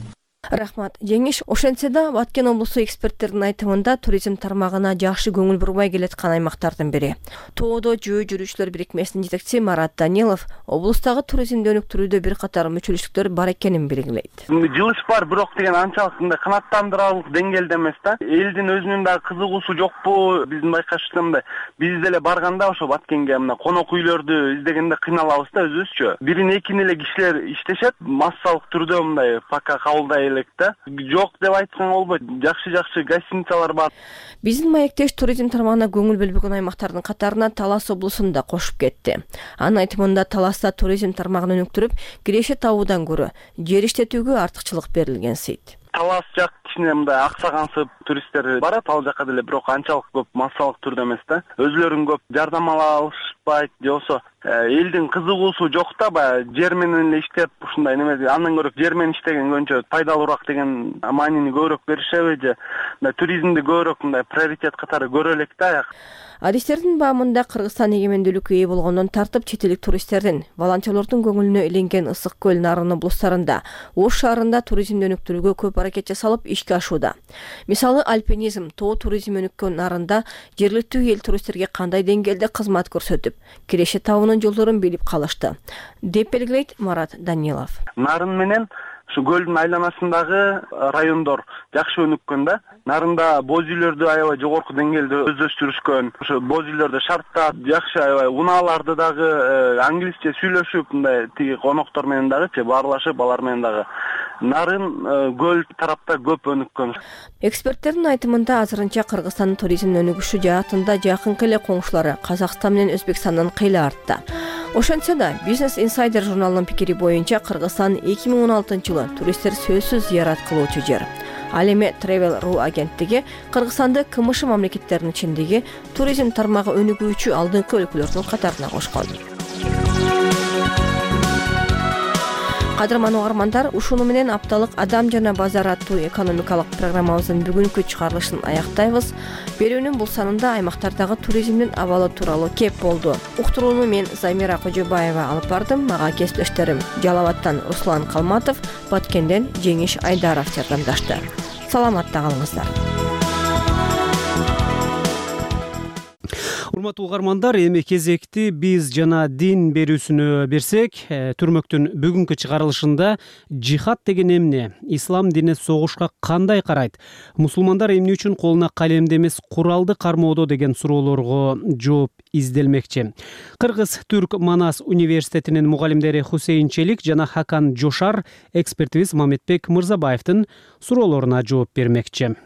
Рахмат Жеңиш. Ошентсе да Баткен облусу эксперттердин айтымында туризм тармагына жакшы көңүл бурбай келаткан аймактардын бири. Тоодо жөө жүрүүчүлөр бирикмесинин жетекчиси Марат Данилов облустагы туризмди өнүктүрүүдө бир катар мүчөлүктөр бар экенин белгилейт. Жылыш бар, бирок деген анчалык мындай канааттандырарлык деңгээлде эмес да. Элдин өзүнүн дагы кызыгуусу жокпу? Биздин байкашыбызда биз деле барганда ошо Баткенге мына конок үйлөрдү издегенде кыйналабыз да өзүбүзчү. Бирин экини эле кишилер иштешет, массалык түрдө мындай пока кабылдай элек да. Жок деп айтсаң болбойт. Жакшы-жакшы гостиницалар бар. Биздин маектеш туризм тармагына көңүл бөлбөгөн аймактардын катарына Талас облусун да кошуп кетти. Анын айтымында Таласта туризм тармагын өнүктүрүп, киреше табуудан көрө жер иштетүүгө артыкчылык берилген сейт. Талас жак кичине мындай аксагансып туристтер барат ал жака деле, бирок анчалык көп массалык түрдө эмес да. Өзүлөрүн көп жардам ала алышпайт, же болбосо элдин кызыгуусу жок да, баягы жер менен эле иштеп ушундай неме, андан көрө жер менен иштеген көбүнчө пайдалуураак деген маанини көбүрөөк беришеби же туризмди көбүрөөк мындай приоритет катары көрө элек да. Адистердин баамында Кыргызстан эгемендүүлүккө ээ болгондон тартып чет элдик туристтердин, волонтерлордун көңүлүнө иленген Ысык көл Нарын облустарында, Ош шаарында туризмди өнүктүрүүгө көп аракет жасалып ишке ашууда. Мисалы альпинизм, тоо туризми өнүккөн Нарында жергиликтүү эл туристтерге кандай деңгээлде кызмат көрсөтүп, киреше табуунун жолдорун билип калышты, деп белгилейт Марат Данилов. Нарын менен ушу көлдүн айланасындагы райондор жакшы өнүккөн да. Нарында боз үйлөрдү аябай жогорку деңгээлде өздөштүрүшкөн. Ошо боз үйлөрдө шарттар жакшы, аябай унааларды дагы англисче сүйлөшүп, мындай тиги коноктор менен дагычы баарлашып, алар менен дагы Нарын көл тарапта көп өнүккөн. Эксперттердин айтымында азырынча Кыргызстандын туризмдин өнүгүшү жаатында жакынкы эле коңшулары Казакстан менен Өзбекстандан кыйла артта. Ошентсе да, Business Insider журналынын пикири боюнча Кыргызстан эки миң он алтынчы жылы туристтер сөзсүз зыярат кылуучу жер. Ал эми Travel точка ру агенттиги Кыргызстанды КМШ мамлекеттеринин ичиндеги туризм тармагы өнүгүүчү алдыңкы өлкөлөрдүн катарына кошкон. Кадырман угармандар, ушуну менен апталык Адам жана базар аттуу экономикалык программабыздын бүгүнкү чыгарылышын аяктайбыз. Берүүнүн бул санында аймактардагы туризмдин абалы тууралуу кеп болду. Уктурууну мен Замира Кожобаева алып бардым. Мага кесиптештерим Жалал абадтан Руслан Калматов, Баткенден Жеңиш Айдаров жардамдашты. Саламатта калыңыздар. Урматтуу угармандар, эми кезекти биз жана дин берүүсүнө берсек, түрмөктүн бүгүнкү чыгарылышында жихад деген эмне, ислам дини согушка кандай карайт, мусулмандар эмне үчүн колуна калемди эмес куралды кармоодо деген суроолорго жооп изделмекчи. Кыргыз Түрк Манас университетинин мугалимдери Хусейин Челик жана Хакан Жошар экспертибиз Мамедбек Мырзабаевдин суроолоруна жооп бермекчи.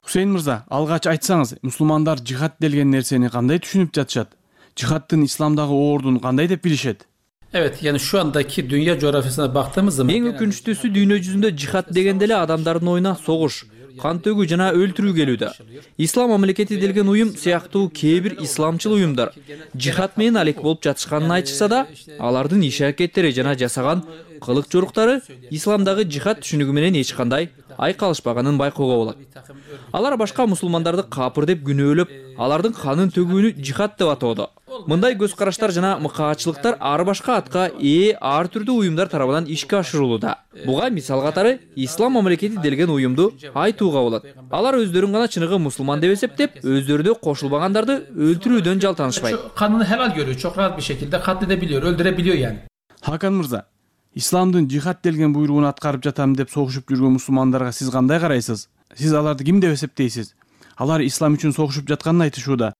Хусейин мырза, алгач айтсаңыз, мусулмандар жихад деген нерсени кандай түшүнүп жатышат? Жихадтын исламдагы ордун кандай деп билишет? Evet, yani şu andaki dünya coğrafyasına baktığımız zaman эң өкүнүчтүүсү дүйнө жүзүндө жихад дегенде эле адамдардын оюна согуш, кан төгүү жана өлтүрүү келүүдө. Ислам мамлекети делген уюм сыяктуу кээ бир исламчыл уюмдар жихад менен алек болуп жатышканын айтышса да, алардын иш аракеттери жана жасаган кылык жоруктары исламдагы жихад түшүнүгү менен эч кандай айкалышпаганын байкоого болот. Алар башка мусулмандарды капыр деп күнөөлөп, алардын канын төгүүнү жихад деп атоодо. Мындай көз караштар жана мыкаачылыктар ар башка атка ээ ар түрдүү уюмдар тарабынан ишке ашырылууда. Буга мисал катары ислам мамлекети делген уюмду айтууга болот. Алар өздөрүн гана чыныгы мусулман деп эсептеп, өздөрү кошулбагандарды өлтүрүүдөн жалтанышпайт. Kanını helal görüyor, çok rahat bir şekilde katledebiliyor, öldürebiliyor yani. Hakan Мырза, исламдын жихад делген буйругун аткарып жатам деп согушуп жүргөн мусулмандарга сиз кандай карайсыз? Сиз аларды ким деп эсептейсиз? Алар ислам үчүн согушуп жатканын айтышууда.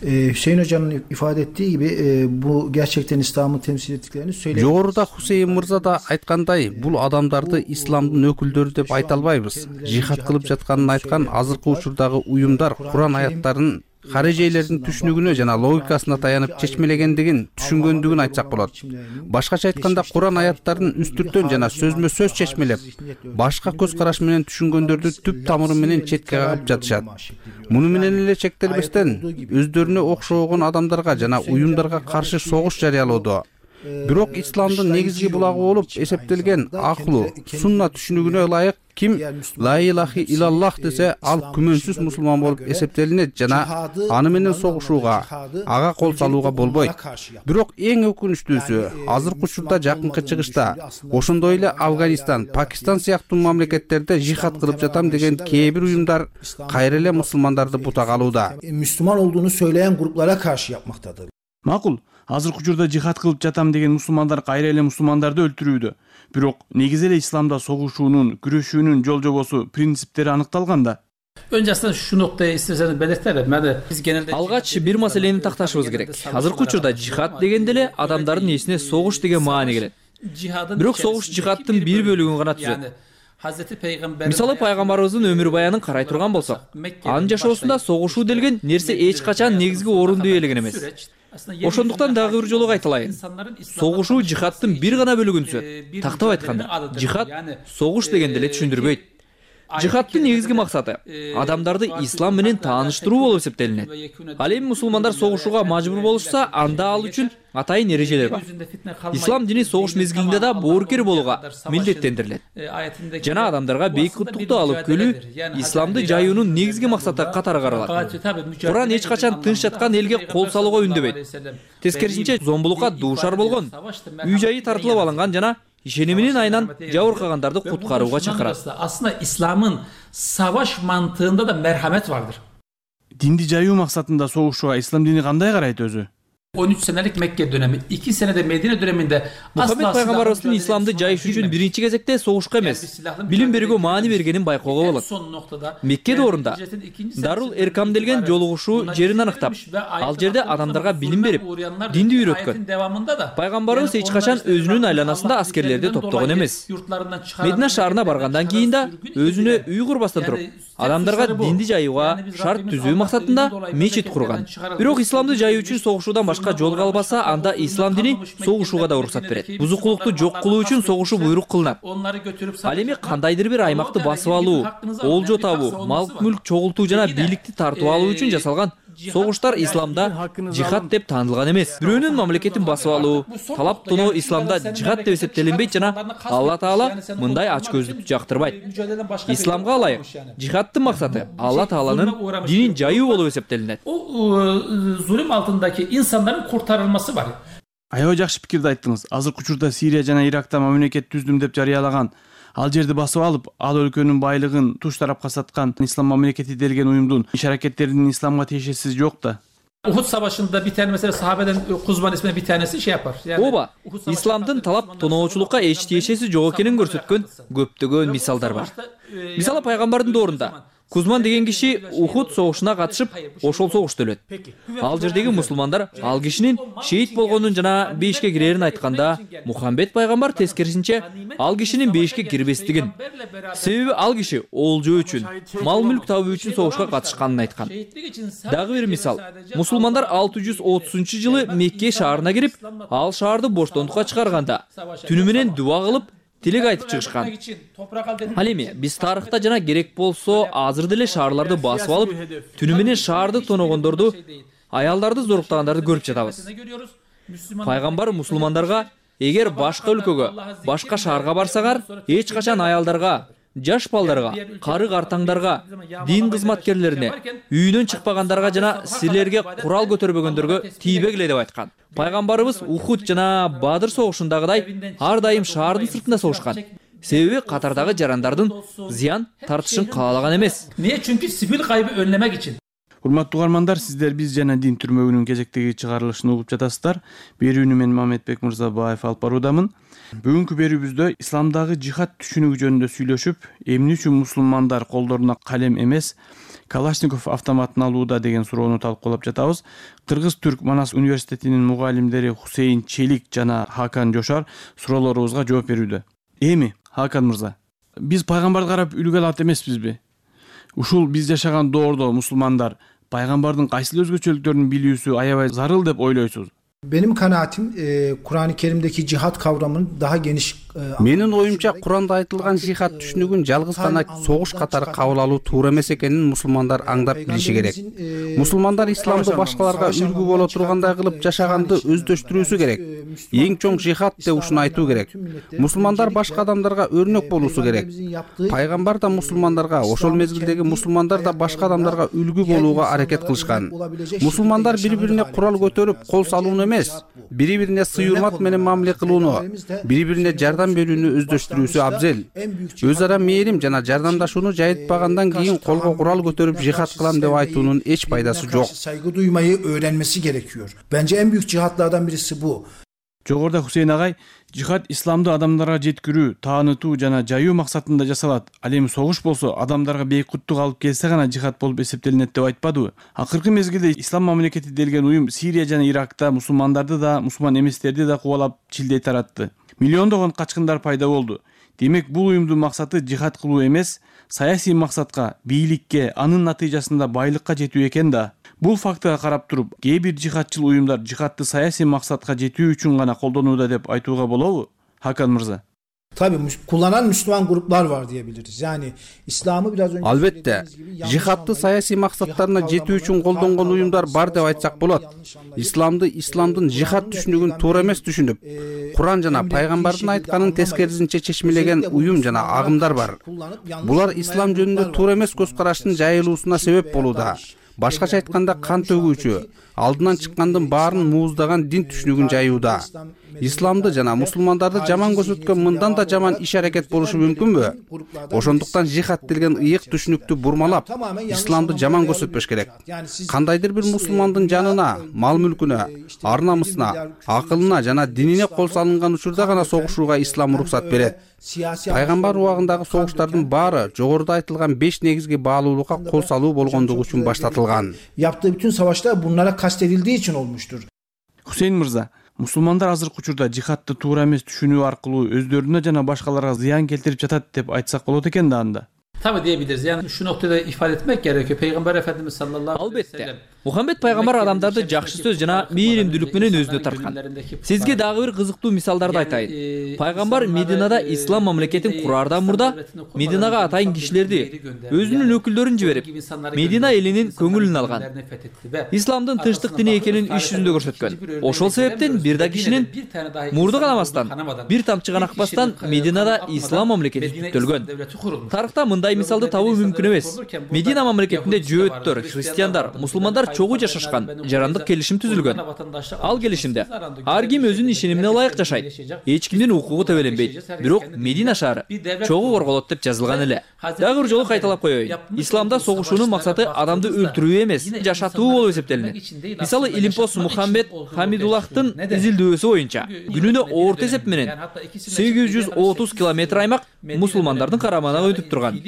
Ee, Hüseyin Hoca'nın ifade ettiği gibi e, bu gerçekten İslam'ı temsil ettiklerini söyledi. Жогоруда Хусейин мырза да айткандай, бул адамдарды исламдын өкүлдөрү деп айта албайбыз. Жихад кылып жатканын айткан азыркы учурдагы уюмдар Куран аяттарын харежейлердин түшүнүгүнө жана логикасына таянып чечмелегендигин түшүнгөндүгүн айтсак болот. Башкача айтканда, Куран аяттарын үстүртөн жана сөзмө сөз чечмелеп, башка көз караш менен түшүнгөндөрдү түп тамыры менен четке кагып жатышат. Муну менен эле чектелбестен өздөрүнө окшогон адамдарга жана уюмдарга каршы согуш жарыялоодо, Бирок исламдын негизги булагы болуп эсептелген акылуу сунна түшүнүгүнө ылайык ким ла илахи илаллах десе ал күмөнсүз мусулман болуп эсептелинет жана аны менен согушууга, ага кол салууга болбойт. Бирок эң өкүнүчтүүсү азыркы учурда жакынкы чыгышта, ошондой эле Афганистан, Пакистан сыяктуу мамлекеттерде жихад кылып жатам деген кээ бир уюмдар кайра эле мусулмандарды бутак алууда. Müslüman olduğunu söyleyen gruplara karşı yapmaktadır. Макул, азыркы учурда жихад кылып жатам деген мусулмандар кайра эле мусулмандарды өлтүрүүдө. Бирок негизи эле исламда согушуунун, күрөшүүнүн жол жобосу, принциптери аныкталган да. Önce aslında şu noktayı isterseniz belirtelim. Yani biz genelde Алгач бир маселени такташыбыз керек. Азыркы учурда жихад дегенде эле адамдардын эсине согуш деген маани келет. Бирок согуш жихадтын бир бөлүгүн гана түзөт. Мисалы пайгамбарыбыздын өмүр баянын карай турган болсок, анын жашоосунда согушуу делген нерсе эч качан негизги орунду ээлеген эмес. Ошондуктан дагы бир жолу айтылайын. Согушуу жихадтын бир гана бөлүгүн түзөт. Тактап айтканда, жихад согуш дегенди эле түшүндүрбөйт. Жихадтын негизги максаты адамдарды ислам менен тааныштыруу болуп эсептелинет. Ал эми мусулмандар согушууга мажбур болушса, анда ал үчүн атайын эрежелер бар. Ислам дини согуш мезгилинде да боорукер болууга милдеттендирилет. Жана адамдарга бейик куттукту алып келүү исламды жаюунун негизги максаты катары каралат. Куран эч качан тынч жаткан элге кол салууга үндөбөйт. Тескерисинче зомбулукка дуушар болгон, үй жайы тартылып алынган жана ишениминин айынан жабыркагандарды куткарууга чакырат. Aslında İslam'ın savaş mantığında da merhamet vardır. Динди жаюу максатында согушууга ислам дини кандай карайт өзү? on üç senelik Mekke dönemi, iki senede Medine döneminde Muhammed Пайгамбарыбыздын исламды жайыш үчүн биринчи кезекте согушка эмес, билим берүүгө маани бергенин байкоого болот. Мекке доорунда Дарул Эркам делген жолугушуу жерин аныктап, ал жерде адамдарга билим берип, динди үйрөткөн. Пайгамбарыбыз эч качан өзүнүн айланасында аскерлерди топтогон эмес. Медина шаарына баргандан кийин да өзүнө үй курбастан туруп, адамдарга динди жайууга шарт түзүү максатында мечит курган. Бирок исламды жайуу үчүн согушуудан башка жол калбаса, анда ислам дини согушууга да уруксат берет. Бузукулукту жок кылуу үчүн согушуу буйрук кылынат. Ал эми кандайдыр бир аймакты басып алуу, олжо табуу, мал мүлк чогултуу жана бийликти тартып алуу үчүн жасалган согуштар исламда жихад деп таанылган эмес. Бирөөнүн мамлекетин басып алуу, талап тоноо исламда жихад деп эсептелинбейт жана Алла Таала мындай ачкөздүктү жактырбайт. Исламга ылайык жихадтын максаты Алла Тааланын динин жайуу болуп эсептелинет. O zulüm altındaki insanların kurtarılması var. Аябай жакшы пикирди айттыңыз. Азыркы учурда Сирия жана Иракта мамлекет түздүм деп жарыялаган, ал жерди басып алып, ал өлкөнүн байлыгын туш тарапка саткан ислам мамлекети делген уюмдун иш-аракеттеринин исламга тиешеси жок да. Uhud Savaşı'nda bir tane mesela sahabeden Kuzman isminde bir tanesi şey yapar. Yani, Оба, исламдын талап тоноочулукка эч тиешеси жок экенин көрсөткөн көптөгөн мисалдар бар. Мисалы пайгамбардын доорунда Кузман деген киши Ухуд согушуна катышып, ошол согушта өлөт. Ал жердеги мусулмандар ал кишинин шейит болгонун жана бейишке кирерин айтканда, Мухаммед пайгамбар тескерисинче ал кишинин бейишке кирбестигин, себеби ал киши олжо үчүн, мал мүлк табуу үчүн согушка катышканын айткан. Дагы бир мисал, мусулмандар алты жүз отузунчу жылы Мекке шаарына кирип, ал шаарды боштондукка чыгарганда, түнү менен дуа кылып, тилек айтып чыгышкан. Ал эми биз тарыхта жана керек болсо азыр деле шаарларды басып алып, түнү менен шаарды тоногондорду, аялдарды зоруктагандарды көрүп жатабыз. Пайгамбар мусулмандарга эгер башка өлкөгө, башка шаарга барсаңар, эч качан аялдарга, жаш балдарга, кары картаңдарга, дин кызматкерлерине, үйүнөн чыкпагандарга жана силерге курал көтөрбөгөндөргө тийбегиле деп айткан. Пайгамбарыбыз Ухуд жана Бадыр согушундагыдай ар дайым шаардын сыртында согушкан. Себеби катардагы жарандардын зыян тартышын каалаган эмес. Niye? Çünkü sivil kaybı önlemek için. Урматтуу угармандар, сиздер биз жана дин түрмөгүнүн кезектеги чыгарылышын угуп жатасыздар. Берүүнү мен Мамедбек Мырзабаев алып баруудамын. Бүгүнкү берүүбүздө исламдагы жихад түшүнүгү жөнүндө сүйлөшүп, эмне үчүн мусулмандар колдоруна калем эмес, Калашников автоматын алууда деген суроону талкуулап жатабыз. Кыргыз-Түрк Манас университетинин мугалимдери Хусейин Челик жана Хакан Жошар суроолорубузга жооп берүүдө. Эми, Хакан мырза, биз пайгамбарды карап үлгү алат эмеспизби? Ушул биз жашаган доордо мусулмандар пайгамбардын кайсыл өзгөчөлүктөрүн билүүсү аябай зарыл деп ойлойсуз? Benim kanaatim e, Kur'an-ı Kerim'deki cihat kavramının daha geniş. E, Менин оюмча Куранда айтылган жихад түшүнүгүн жалгыз гана согуш катары кабыл алуу туура эмес экенин мусулмандар аңдап билиши керек. Мусулмандар исламды башкаларга үлгү боло тургандай кылып жашаганды өздөштүрүүсү керек. Эң чоң жихад деп ушуну айтуу керек. Мусулмандар башка адамдарга өрнөк болуусу керек. Пайгамбар да мусулмандарга, ошол мезгилдеги мусулмандар да башка адамдарга үлгү болууга аракет кылышкан. Мусулмандар бири-бирине курал көтөрүп кол салууну эмес, бири-бирине сый урмат менен мамиле кылууну, бири-бирине жардам берүүнү өздөштүрүүсү абзел. Өз ара мээрим жана жардамдашууну жайытпагандан кийин колго курал көтөрүп жихад кылам деп айтуунун эч пайдасы жок. Saygı duymayı öğrenmesi gerekiyor. Bence en büyük cihatlardan birisi bu. Жогоруда Хусейн агай, жихад исламды адамдарга жеткирүү, таанытуу жана жайуу максатында жасалат. Ал эми согуш болсо адамдарга бейкуттук алып келсе гана жихад болуп эсептелинет деп айтпадыбы? Акыркы мезгилде ислам мамлекети делген уюм Сирия жана Иракта мусулмандарды да, мусулман эместерди да кубалап чилдей таратты. Миллиондогон качкындар пайда болду. Демек бул уюмдун максаты жихад кылуу эмес, саясий максатка, бийликке, анын натыйжасында байлыкка жетүү экен да. Бул фактыга карап туруп, кээ бир жихадчыл уюмдар жихадты саясий максатка жетүү үчүн гана колдонууда деп айтууга болобу? Хакан мырза. Tabii kullanan Müslüman gruplar var diyebiliriz. Yani İslam'ı biraz önce Албетте, жихадты саясий максаттарына жетүү үчүн колдонгон уюмдар бар деп айтсак болот. Исламды, исламдын жихад түшүнүгүн туура эмес түшүнүп, Куран жана пайгамбардын айтканын тескерисинче чечмелеген уюм жана агымдар бар. Булар ислам жөнүндө туура эмес көз караштын жайылуусуна себеп болууда. Башкача айтканда кан төгүүчү, алдынан чыккандын баарын мууздаган дин түшүнүгүн жайууда. Исламды жана мусулмандарды жаман көрсөткөн мындан да жаман иш аракет болушу мүмкүнбү? Ошондуктан жихад делген ыйык түшүнүктү бурмалап, исламды жаман көрсөтпөш керек. Кандайдыр бир мусулмандын жанына, мал мүлкүнө, ар намысына, акылына жана динине кол салынган учурда гана согушууга ислам уруксат берет. Пайгамбар убагындагы согуштардын баары жогоруда айтылган беш негизги баалуулукка кол салуу болгондугу үчүн баштатылган. Yaptığı bütün savaşlar bunlara kastedildiği için olmuştur. Хусейн мырза, мусулмандар азыркы учурда жихадты туура эмес түшүнүү аркылуу өздөрүнө жана башкаларга зыян келтирип жатат деп айтсак болот экен да анда. Tabii diyebiliriz. Yani şu noktada ifade etmek gerekiyor. Peygamber Efendimiz sallallahu aleyhi ve sellem. Албетте. Мухаммед пайгамбар адамдарды жакшы сөз жана мээримдүүлүк менен өзүнө тарткан. Сизге дагы бир кызыктуу мисалдарды айтайын. Пайгамбар Мединада ислам мамлекетин кураардан мурда Мединага атайын кишилерди, өзүнүн өкүлдөрүн жиберип, Медина элинин көңүлүн алган. Исламдын тынчтык дини экенин иш жүзүндө көрсөткөн. Ошол себептен бир да кишинин мурду канамастан, бир тамчы гана акпастан Мединада ислам мамлекети түптөлгөн. Тарыхта мындай мисалды табуу мүмкүн эмес. Медина мамлекетинде жөөттөр, христиандар, мусулмандар чогуу жашашкан, жарандык келишим түзүлгөн. Ал келишимде ар ким өзүнүн ишенимине ылайык жашайт. Эч кимдин укугу тебеленбейт. Бирок Медина шаары чогуу корголот деп жазылган эле. Дагы бир жолу кайталап коеюн. Исламда согушуунун максаты адамды өлтүрүү эмес, жашатуу болуп эсептелинет. Мисалы Илимпос Мухаммед Хамидуллахтын изилдөөсү боюнча күнүнө орто эсеп менен сегиз жүз отуз километр аймак мусулмандардын карамагына өтүп турган.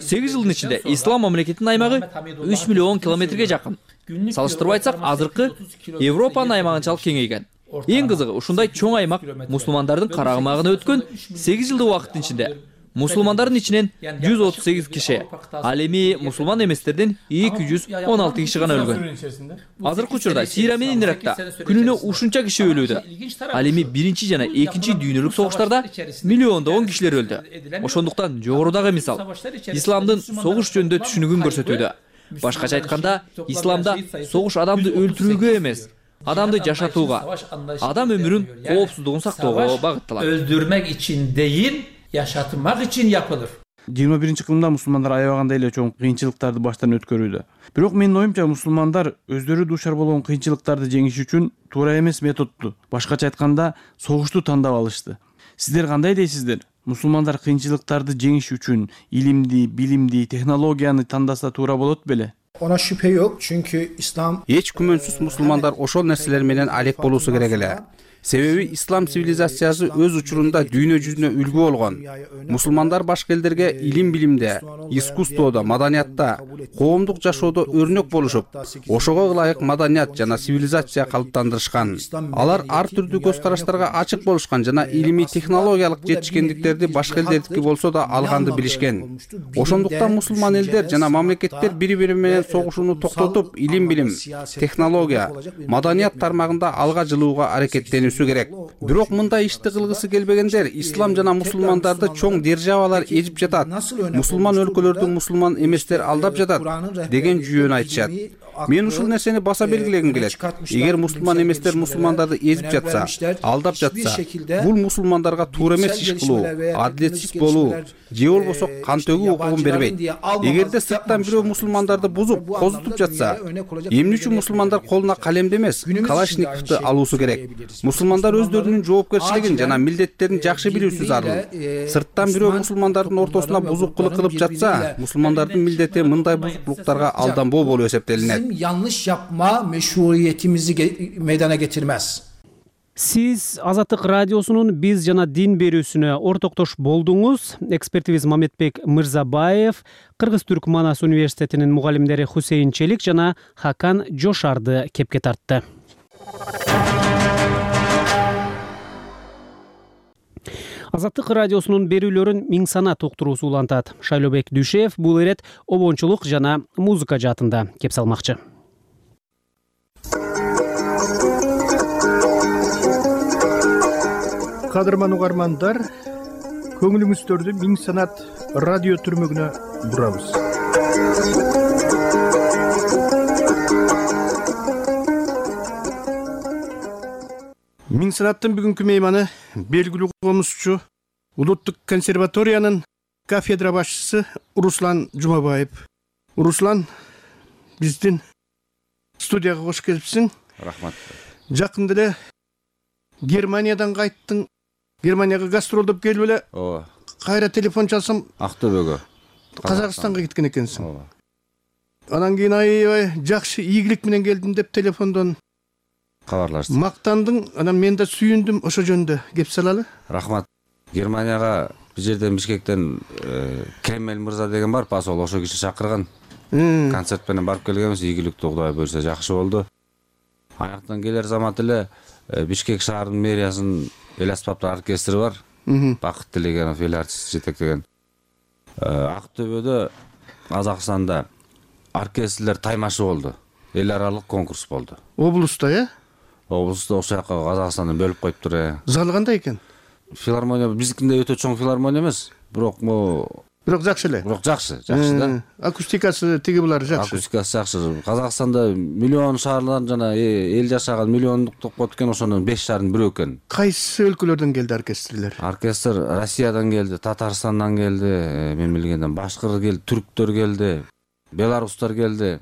сегиз жылдын ичинде ислам мамлекетинин аймагы үч миллион километрге жакын. Салыштырып айтсак, азыркы Европанын аймагынчалык кеңейген. Эң кызыгы, ушундай чоң аймак мусулмандардын карамагына өткөн сегиз жылдык убакыттын ичинде мусулмандардын ичинен жүз отуз сегиз киши, ал эми мусулман эместердин эки жүз он алты киши гана өлгөн. Азыркы учурда Сирия менен Иракта күнүнө ушунча киши өлүүдө. Ал эми биринчи жана экинчи дүйнөлүк согуштарда миллиондогон кишилер өлдү. Ошондуктан жогорудагы мисал исламдын согуш жөнүндө түшүнүгүн көрсөтүүдө. Башкача айтканда, исламда согуш адамды өлтүрүүгө эмес, адамды жашатууга, адам өмүрүн коопсуздугун сактоого багытталат. Öldürmek için değil, yaşatmak için yapılır. жыйырма биринчи кылымда мусулмандар аябагандай эле чоң кыйынчылыктарды баштан өткөрүүдө. Бирок менин оюмча мусулмандар өздөрү дуушар болгон кыйынчылыктарды жеңиш үчүн туура эмес методду, башкача айтканда, согушту тандап алышты. Сиздер кандай дейсиздер? Мусулмандар кыйынчылыктарды жеңиш үчүн илимди, билимди, технологияны тандаса туура болот беле? Ona şüphe yok çünkü İslam Эч күмөнсүз мусулмандар ошол нерселер менен алек болуусу керек эле. Себеби ислам цивилизациясы өз учурунда дүйнө жүзүнө үлгү болгон. Мусулмандар башка элдерге илим билимде, искусстводо, маданиятта, коомдук жашоодо өрнөк болушуп, ошого ылайык маданият жана цивилизация калыптандырышкан. Алар ар түрдүү көз караштарга ачык болушкан жана илимий технологиялык жетишкендиктерди башка элдердики болсо да алганды билишкен. Ошондуктан мусулман элдер жана мамлекеттер бири-бири менен согушууну токтотуп, илим билим, технология, маданият тармагында алга жылууга аракеттенүүсү керек. Бирок мындай ишти кылгысы келбегендер ислам жана мусулмандарды чоң державалар эжип жатат, мусулман өлкөлөрдү мусулман эместер алдап жатат деген жүйөнү айтышат. Мен ушул нерсени баса белгилегим келет. Эгер мусулман эместер мусулмандарды эзип жатса, алдап жатса, бул мусулмандарга туура эмес иш кылуу, адилетсиз болуу, же болбосо кан төгүү укугун бербейт. Эгерде сырттан бирөө мусулмандарды бузуп, козутуп жатса, эмне үчүн мусулмандар колуна калемди эмес, калашниковду алуусу керек? Мусулмандар өздөрүнүн жоопкерчилигин жана милдеттерин жакшы билүүсү зарыл. Сырттан бирөө мусулмандардын ортосуна бузукчулук кылып жатса, мусулмандардын милдети мындай бузуклуктарга алданбоо болуп эсептелинет. Yanlış yapma meşruiyetimizi meydana getirmez. Сиз Азаттык радиосунун биз жана дин берүүсүнө ортоктош болдуңуз. Экспертибиз Мамедбек Мырзабаев, Кыргыз-Түрк Манас университетинин мугалимдери Хусейин Челик жана Хакан Жошарды кепке тартты. Азаттык радиосунун берүүлөрүн миң санат уктуруусу улантат. Шайлообек Дүшев бул ирет обончулук жана музыка жаатында кеп салмакчы. Кадырман угармандар, көңүлүңүздөрдү миң санат радио түрмөгүнө бурабыз. Миң санаттын бүгүнкү мейманы белгилүү комузчу, Улуттук консерваториянын кафедра башчысы Руслан Жумабаев. Руслан, биздин студияга кош келипсиң. Рахмат. Жакында эле Германиядан кайттың. Германияга гастролдоп келип эле. Ооба. Кайра телефон чалсам, Актөбөгө, Казакстанга кеткен экенсиң. Ооба. Анан кийин аябай жакшы ийгилик менен келдим деп телефондон кабарлаштым. Мактандың, анан мен да сүйүндүм, ошо жөнүндө кеп салалы. Рахмат. Германияга бир жерден Бишкектен Кемел мырза деген бар, посол, ошо киши чакырган. Концерт менен барып келгенбиз, ийгиликтүү Кудай буйрса жакшы болду. Аяктан келер замат эле Бишкек шаарынын мэриясынын эл аспаптар оркестри бар. Бакыт Тилегенов эл артист жетектеген. Актөбөдө, Казакстанда оркестрлер таймашы болду. Эл аралык конкурс болду. Облуста, э? Облуста ошол жака Казакстанды бөлүп коюптур, э. Залы кандай экен? Филармония биздикинде өтө чоң филармония эмес, бирок могу Бирок жакшы эле. Бирок жакшы, жакшы да. Акустикасы тиги булар жакшы. Акустикасы жакшы. Казакстанда миллион шаарлар жана эл жашаган миллиондук топ экен, ошонун беш шаардын бирөө экен. Кайсы өлкөлөрдөн келди оркестрлер? Оркестр Россиядан келди, Татарстандан келди, мен билгенден башкыр келди, түрктөр келди, белорустар келди.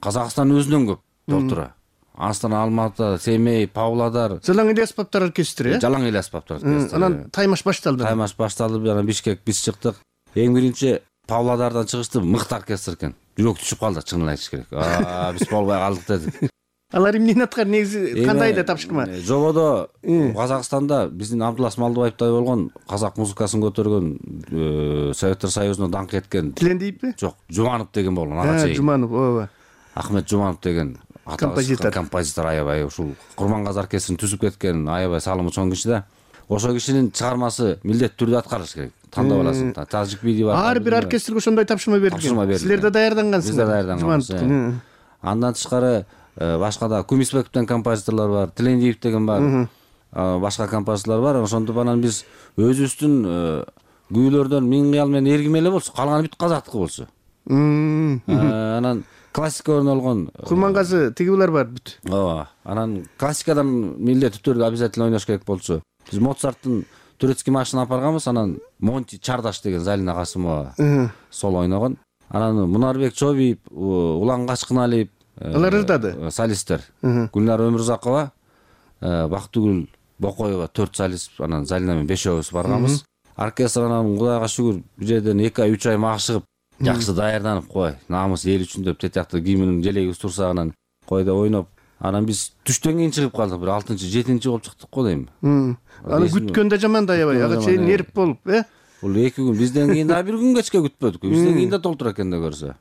Казакстан өзүнөн көп толтура. Астана, Алматы, Семей, Павлодар. Жалаң эл аспаптар оркестри, э? Жалаң эл аспаптар оркестри. Анан таймаш башталды. Таймаш башталды, анан Бишкек биз чыктык. Эң биринчи Павлодардан чыгышты, мыкты оркестр экен. Жүрөк түшүп калды, чынын айтыш керек. Аа, биз болбой калдык дедик. Алар эмнени аткар, негизи кандай да тапшырма? Жободо Казакстанда биздин Абдулас Малдыбаевтай болгон казак музыкасын көтөргөн, Советтер Союзуна даңк эткен. Тилендиевби? Жок, Жуманов деген болгон, ага чейин. Жуманов, ооба. Ахмет Жуманов деген композитор. Композитор аябай ушул Курмангаз оркестрин түзүп кеткен, аябай салымы чоң киши да. Ошол кишинин чыгармасы милдеттүү түрдө аткарыш керек. Тандап аласың. Тажик биди бар. Ар бир оркестрге ошондой тапшырма берилген. Силер да даярдангансыңар. Биз да даярдангансыз. Андан тышкары башка да Кумисбековден композиторлор бар, Тилендиев деген бар. Башка композиторлор бар. Ошондо анан биз өзүбүздүн күүлөрдөн миң кыял менен эргим эле болсо, калганы бүт казактыкы болсо. Анан классика ойнолгон Курмангазы тиги булар бар бүт. Ооба. Анан классикадан милдеттүү түрдө обязательно ойнош керек болчу. Биз Моцарттын Турецкий маршын апарганбыз, анан Монти Чардаш деген Залина Касымова сол ойногон. Анан Мунарбек Чобиев, Улан Качкыналиев, алар ырдады. Солисттер. Гүлнар Өмүрзакова, Бактыгүл Бокоева төрт солист, анан Залина менен бешөөбүз барганбыз. Оркестр анан Кудайга шүгүр бир жерден эки ай үч ай магышып, жакшы даярданып кой, намыс эл үчүн деп тетиякты кийимин желегибиз турса анан кой деп ойноп, Анан биз түштөн кийин чыгып калдык, бир алтынчы жетинчи болуп чыктык го дейм. Аны күткөн да жаман да аябай, ага чейин нерип болуп, э? Бул эки күн, бизден кийин да бир күн кечке күтпөдүк. Бизден кийин да толтура экен да көрсө.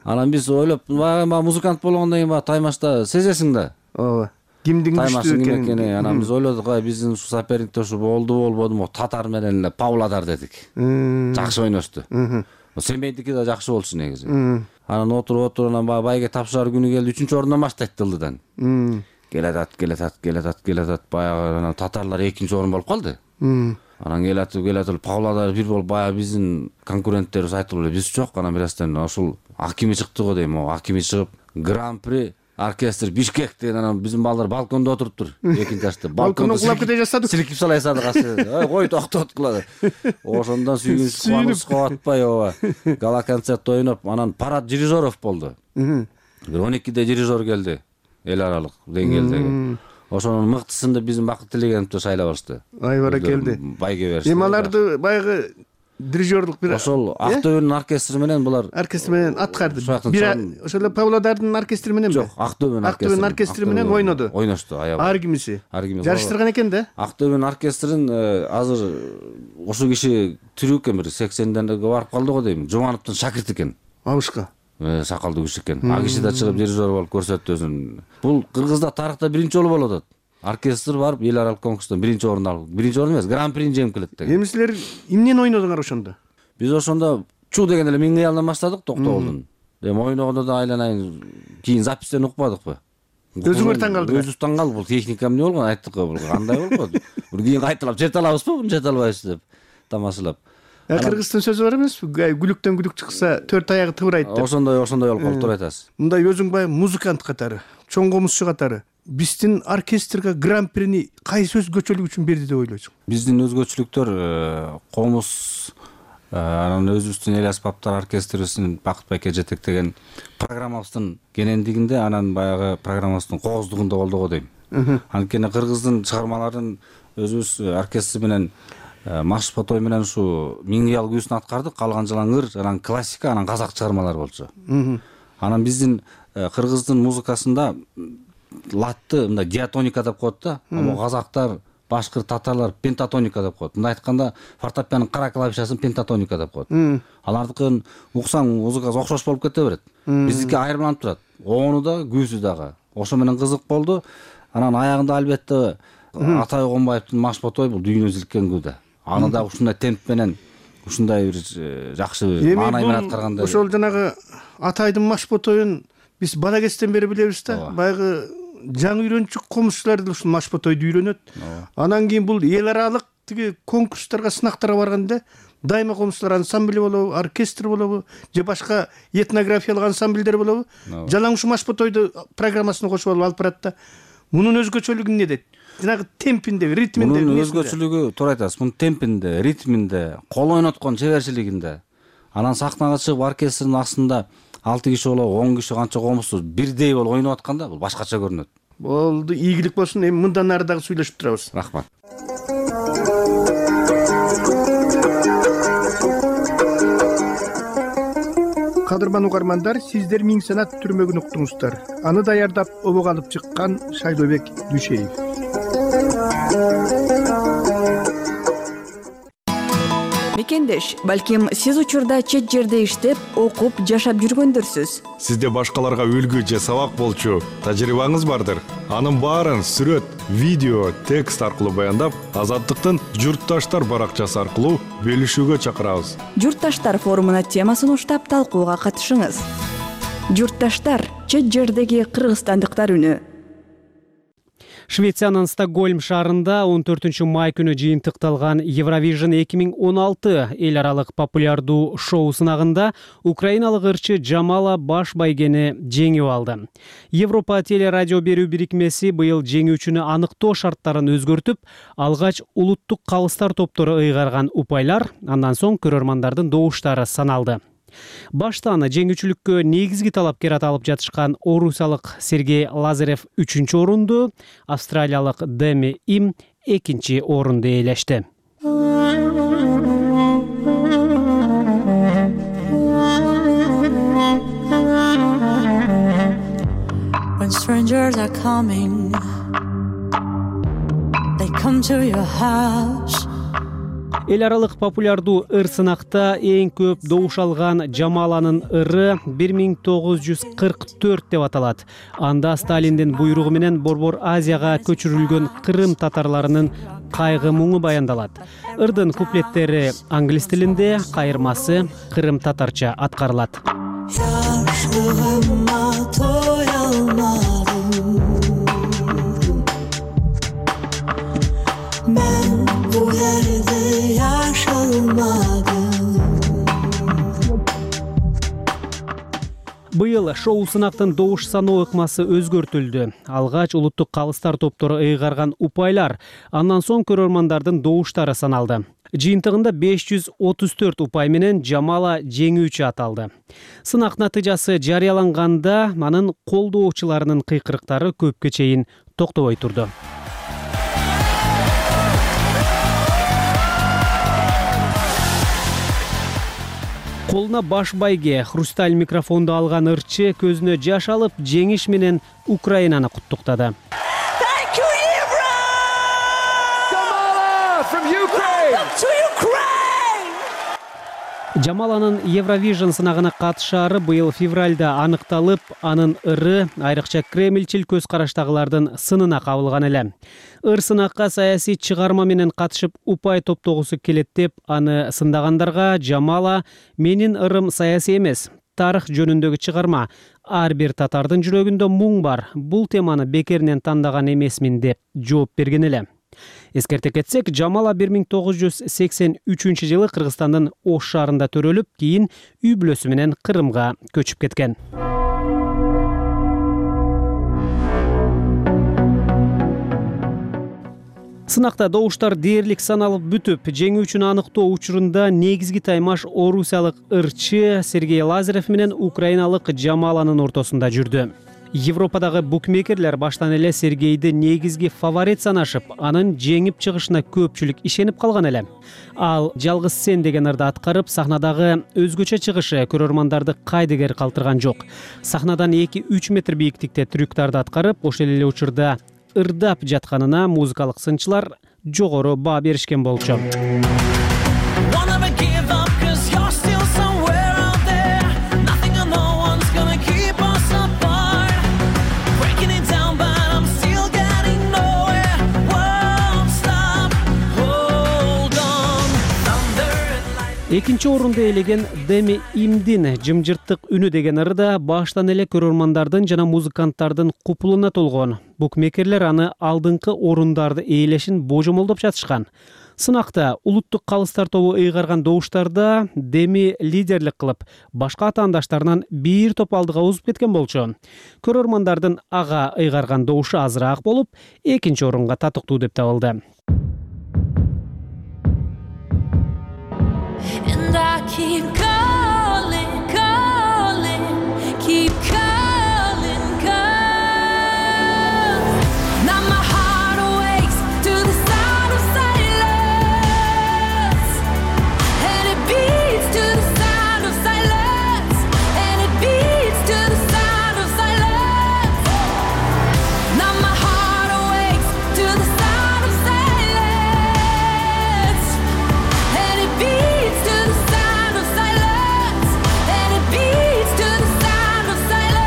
Анан биз ойлоп, баягы музыкант болгондон кийин баягы таймашта сезесиң да. Ооба. Кимдин күчтүү экенин. Анан биз ойлодук, ай биздин ушу соперникте ушу болду болбодуму, Татар менен эле Павлодар дедик. Жакшы ойношту. Семейдики да жакшы болчу негизи. Анан отуруп отуруп анан баягы байге тапшырар күнү келди, үчүнчү орундан баштайт Дылдыдан. Келатат, келатат, келатат, келатат, баягы татарлар экинчи орун болуп калды. Анан келатып, келатып Павлодар бир болуп баягы биздин конкуренттерибиз айтылып эле, биз жок. Анан бирастан ошол Акими чыкты го дейм, Акими чыгып, Гран-при оркестр Бишкек деген, анан биздин балдар балкондо отуруптур, экинчи этажда. Балкондо кулап кете жаздык. Силикип салай садык асы. Ой, токтот кылады. Ошондон сүйгүнүп, кубанып атпай ооба. Гала концерт ойноп, анан парад дирижеров болду. Бир он экиде дирижер келди, эл аралык деңгээлдеги. Ошонун мыктысында биздин Бакыт Тилегеновду шайлап алышты. Ай баракелди. Байге беришти. Эми аларды баягы дирижерлук бир ошол Актөбөнүн оркестри менен булар оркестр менен аткарды. Бир ошол Павлодардын оркестри менен жок, Актөбөнүн Актөбөнүн оркестри менен ойноду. Ойношту аябай. Ар кимиси. Жарыштырган экен да. Актөбөнүн оркестрин азыр ошол киши тирүү экен, бир сексендерге барып калды го дейм. Жумановдун шакирти экен. Абышка. Сакалдуу киши экен. А киши да чыгып дирижер болуп көрсөттү өзүн. Бул Кыргызда тарыхта биринчи жолу болуп атат. Оркестр барып эл аралык конкурстон биринчи орун алып, биринчи орун эмес, гран-прини жеңип келет деген. Эми силер эмнени ойнодуңар ошондо? Биз ошондо чу деген эле Миң кыялдан баштадык, Токтогулдун. Эми ойногондо да айланайын, кийин запистен укпадыкпы? Өзүңөр таң калдыңар. Өзүбүз таң калдык, бул техника эмне болгон, айттык го, бул кандай болуп калды? Бир кийин кайталап жете алабызбы, муну жете албайбыз деп тамашалап. Кыргыздын сөзү бар эмеспи? Гүлүктөн гүлүк чыкса, төрт аягы тыбырайт деп. Ошондой, ошондой болуп калды, туура айтасыз. Мындай өзүң баягы музыкант катары, чоң комузчу катары биздин оркестрге гран-прини кайсы өзгөчөлүк үчүн берди деп ойлойсуң? Биздин өзгөчөлүктөр комуз, анан өзүбүздүн эл аспаптар оркестрибиздин Бакыт байке жетектеген программабыздын кенендигинде, анан баягы программабыздын кооздугунда болду го дейм. Анткени кыргыздын чыгармаларын өзүбүз оркестр менен Маш Потой менен ушу Миң кыял күүсүн аткардык, калган жылаң ыр, анан классика, анан казак чыгармалар болчу. Анан биздин кыргыздын музыкасында латты мындай диатоника деп коет да, а казактар, башкыр, татарлар пентатоника деп коет. Мындай айтканда фортепианонун кара клавишасын пентатоника деп коет. Алардыкын уксаң музыкасы окшош болуп кете берет. Биздики айырмаланып турат. Ону да, күүсү дагы. Ошо менен кызык болду. Анан аягында албетте Атай Огонбаевдин Маш Потой бул дүйнө зилккен күү да. Аны да ушундай темп менен, ушундай бир жакшы маанай менен аткарганда. Ошол жанагы Атайдын Маш Потойун биз бала кезден бери билебиз да. Баягы жаңы үйрөнчүк комузчулар да ушул Маш Потойду үйрөнөт. Анан кийин бул эл аралык тиги конкурстарга, сынактарга барганда дайыма комузчулар ансамбли болобу, оркестр болобу, же башка этнографиялык ансамбльдер болобу, жалаң ушу Маш Потойду программасына кошуп алып алып барат да. Мунун өзгөчөлүгү эмнеде? Жанагы темпинде, ритминде. Мунун өзгөчөлүгү, туура айтасыз, мунун темпинде, ритминде, кол ойноткон чеберчилигинде. Анан сахнага чыгып оркестрдин астында алты киши болобу, он киши канча комузсуз бирдей болуп ойноп атканда бул башкача көрүнөт. Болду, ийгилик болсун. Эми мындан нары дагы сүйлөшүп турабыз. Рахмат. Кадырман угармандар, сиздер Миң санат түрмөгүн уктуңуздар. Аны даярдап, обого алып чыккан Шайлообек Дүйшеев. Мекендеш, балким сиз учурда чет жерде иштеп, окуп, жашап жүргөндөрсүз. Сизде башкаларга үлгү же сабак болчу тажрыйбаңыз бардыр. Анын баарын сүрөт, видео, текст аркылуу баяндап, Азаттыктын Журтташтар баракчасы аркылуу бөлүшүүгө чакырабыз. Журтташтар форумуна темасын уштап талкууга катышыңыз. Журтташтар — чет жердеги кыргызстандыктар үнү. Швециянын Стокгольм шаарында он төртүнчү май күнү жыйынтыкталган Евровижн эки миң он алты эл аралык популярдуу шоу сынагында украиналык ырчы Жамала баш байгени жеңип алды. Европа телерадио берүү бирикмеси быйыл жеңүүчүнү аныктоо шарттарын өзгөртүп, алгач улуттук калыстар топтору ыйгарган упайлар, андан соң көрөрмандардын добуштары саналды. Башта аны жеңүүчүлүккө негизги талапкер аталып жатышкан орусиялык Сергей Лазарев үчүнчү орунду, австралиялык Деми Им экинчи орунду ээлешти. When strangers are coming. They come to your house. Эл аралык популярдуу ыр сынакта эң көп добуш алган Жамаланын ыры бир миң тогуз жүз кырк төрт деп аталат. Анда Сталиндин буйругу менен Борбор Азияга көчүрүлгөн Кырым татарларынын кайгы муңу баяндалат. Ырдын куплеттери англис тилинде, кайырмасы кырым татарча аткарылат. Ben bu yerde yaşamadım. Быйыл шоу сынактын добуш саноо ыкмасы өзгөртүлдү. Алгач улуттук калыстар топтору ыйгарган упайлар, андан соң көрөрмандардын добуштары саналды. Жыйынтыгында беш жүз отуз төрт упай менен Жамала жеңүүчү аталды. Сынак натыйжасы жарыяланганда анын колдоочуларынын кыйкырыктары көпкө чейин токтобой турду. Колуна баш байге, хрусталь микрофонду алган ырчы көзүнө жаш алып, жеңиш менен Украинаны куттуктады. Жамаланын Евровижн сынагына катышаары быйыл февралда аныкталып, анын ыры айрыкча кремльчил көз караштагылардын сынына кабылган эле. Ыр сынакка саясий чыгарма менен катышып упай топтогусу келет деп аны сындагандарга Жамала "Менин ырым саясий эмес, тарых жөнүндөгү чыгарма. Ар бир татардын жүрөгүндө муң бар. Бул теманы бекеринен тандаган эмесмин" деп жооп берген эле. Эскерте кетсек, Жамала бир миң тогуз жүз сексен үчүнчү жылы Кыргызстандын Ош шаарында төрөлүп, кийин үй бүлөсү менен Кырымга көчүп кеткен. Сынакта добуштар дээрлик саналып бүтүп, жеңүүчүнү аныктоо учурунда негизги таймаш орусиялык ырчы Сергей Лазарев менен украиналык Жамаланын ортосунда жүрдү. Европадагы букмекерлер баштан эле Сергейди негизги фаворит санашып, анын жеңип чыгышына көпчүлүк ишенип калган эле. Ал "Жалгыз сен" деген ырды аткарып, сахнадагы өзгөчө чыгышы көрөрмандарды кайдыгер калтырган жок. Сахнадан эки үч метр бийиктикте трюктарды аткарып, ошол эле учурда ырдап жатканына музыкалык сынчылар жогору баа беришкен болчу. Экинчи орунду ээлеген Деми Имдин "Жымжырттык үнү" деген ырда баштан эле көрөрмандардын жана музыканттардын купулуна толгон. Букмекерлер аны алдыңкы орундарды ээлешин божомолдоп жатышкан. Сынакта улуттук калыстар тобу ыйгарган добуштарда Деми лидерлик кылып, башка атаандаштарынан бир топ алдыга озуп кеткен болчу. Көрөрмандардын ага ыйгарган добушу азыраак болуп, экинчи орунга татыктуу деп табылды. And I keep calling, calling, keep calling, calling. Now my heart awakes to the sound of silence, and it beats to the sound of silence, and it beats to the sound of silence. Now my heart awakes to the sound of silence, and it beats to the sound of silence, and it beats to the sound of silence.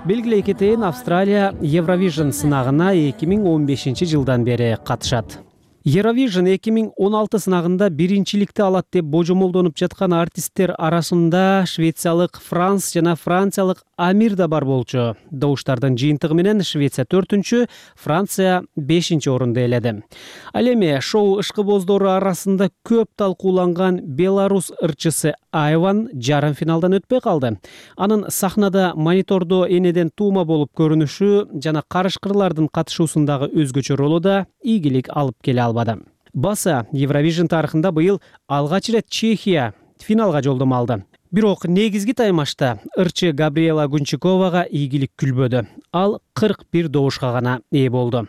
Белгилей кетейин, Австралия Евровижн сынагына эки миң он бешинчи жылдан бери катышат. Евровижн эки миң он алты сынагында биринчиликти алат деп божомолдонуп жаткан артисттер арасында швециялык Франс жана франциялык Амир да бар болчу. Добуштардын жыйынтыгы менен Швеция төртүнчү, Франция бешинчи орунду ээледи. Ал эми шоу ышкыбоздору арасында көп талкууланган Беларус ырчысы Айван жарым финалдан өтпөй калды. Анын сахнада монитордо энеден туума болуп көрүнүшү жана карышкырлардын катышуусундагы өзгөчө ролу да ийгилик алып келе албады. Баса Евровижн тарыхында быйыл алгач ирет Чехия финалга жолдомо алды. Бирок негизги таймашта ырчы Габриэла Гунчиковага ийгилик күлбөдү. Ал кырк бир добушка гана ээ болду.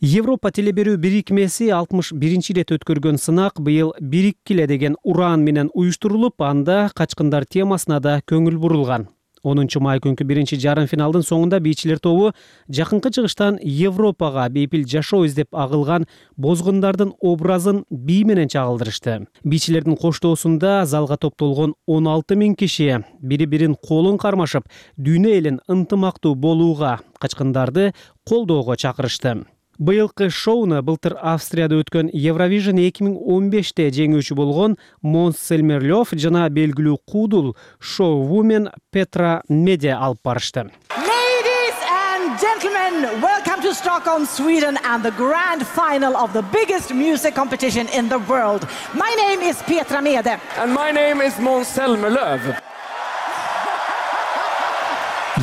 Европа телеберүү бирикмеси алтымыш биринчи ирет өткөргөн сынак быйыл бириккиле деген уран менен уюштурулуп, анда качкындар темасына да көңүл бурулган. онунчу май күнкү биринчи жарым финалдын соңунда бийчилер тобу жакынкы чыгыштан Европага бейпил жашоо издеп агылган бозгундардын образын бий менен чагылдырышты. Бийчилердин коштоосунда залга топтолгон он алты миң киши бири бирин колун кармашып, дүйнө элин ынтымактуу болууга, качкындарды колдоого чакырышты. Быйылкы шоуну былтыр Австрияда өткөн Евровижн эки миң он беште жеңүүчү болгон Монс Селмерлёв жана белгилүү куудул шоу-вумен Петра Меде алып барышты. Ladies and gentlemen, welcome to Stockholm, Sweden and the grand final of the biggest music competition in the world. My name is Petra Mede. And my name is Måns Zelmerlöw.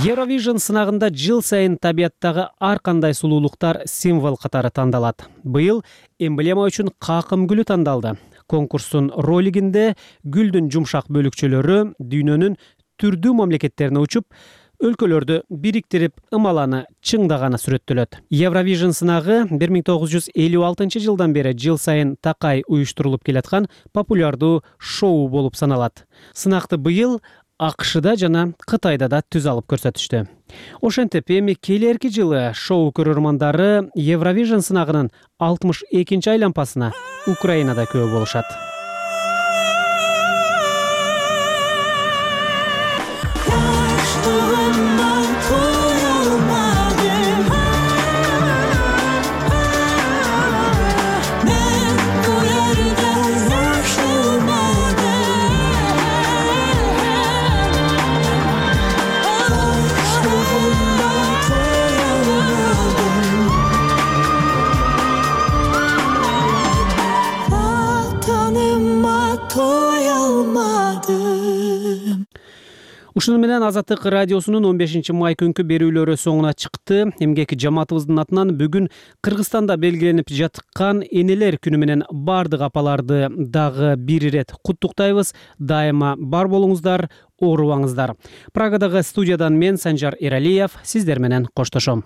Евровижн сынагында жыл сайын табияттагы ар кандай сулуулуктар символ катары тандалат. Быйыл эмблема үчүн какым гүлү тандалды. Конкурстун ролигинде гүлдүн жумшак бөлүкчөлөрү дүйнөнүн түрдүү мамлекеттерине учуп, өлкөлөрдү бириктирип, ымаланы чыңдаганы сүрөттөлөт. Евровижн сынагы бир миң тогуз жүз элүү алтынчы жылдан бери жыл сайын такай уюштурулуп келаткан популярдуу шоу болуп саналат. Сынакты быйыл АКШда жана Кытайда да түз алып көрсөтүштү. Ошентип, эми келерки жылы шоу көрөрмандары Евровижн сынагынын алтымыш экинчи айлампасына Украинада күбө болушат. Ушуну менен Азаттык радиосунун он бешинчи май күнкү берүүлөрү соңуна чыкты. Эмгеки жамаатыбыздын атынан бүгүн Кыргызстанда белгиленип жаткан энелер күнү менен бардык апаларды дагы бир ирет куттуктайбыз. Дайыма бар болуңуздар, оорубаңыздар. Прагадагы студиядан мен Санжар Эралиев сиздер менен коштошом.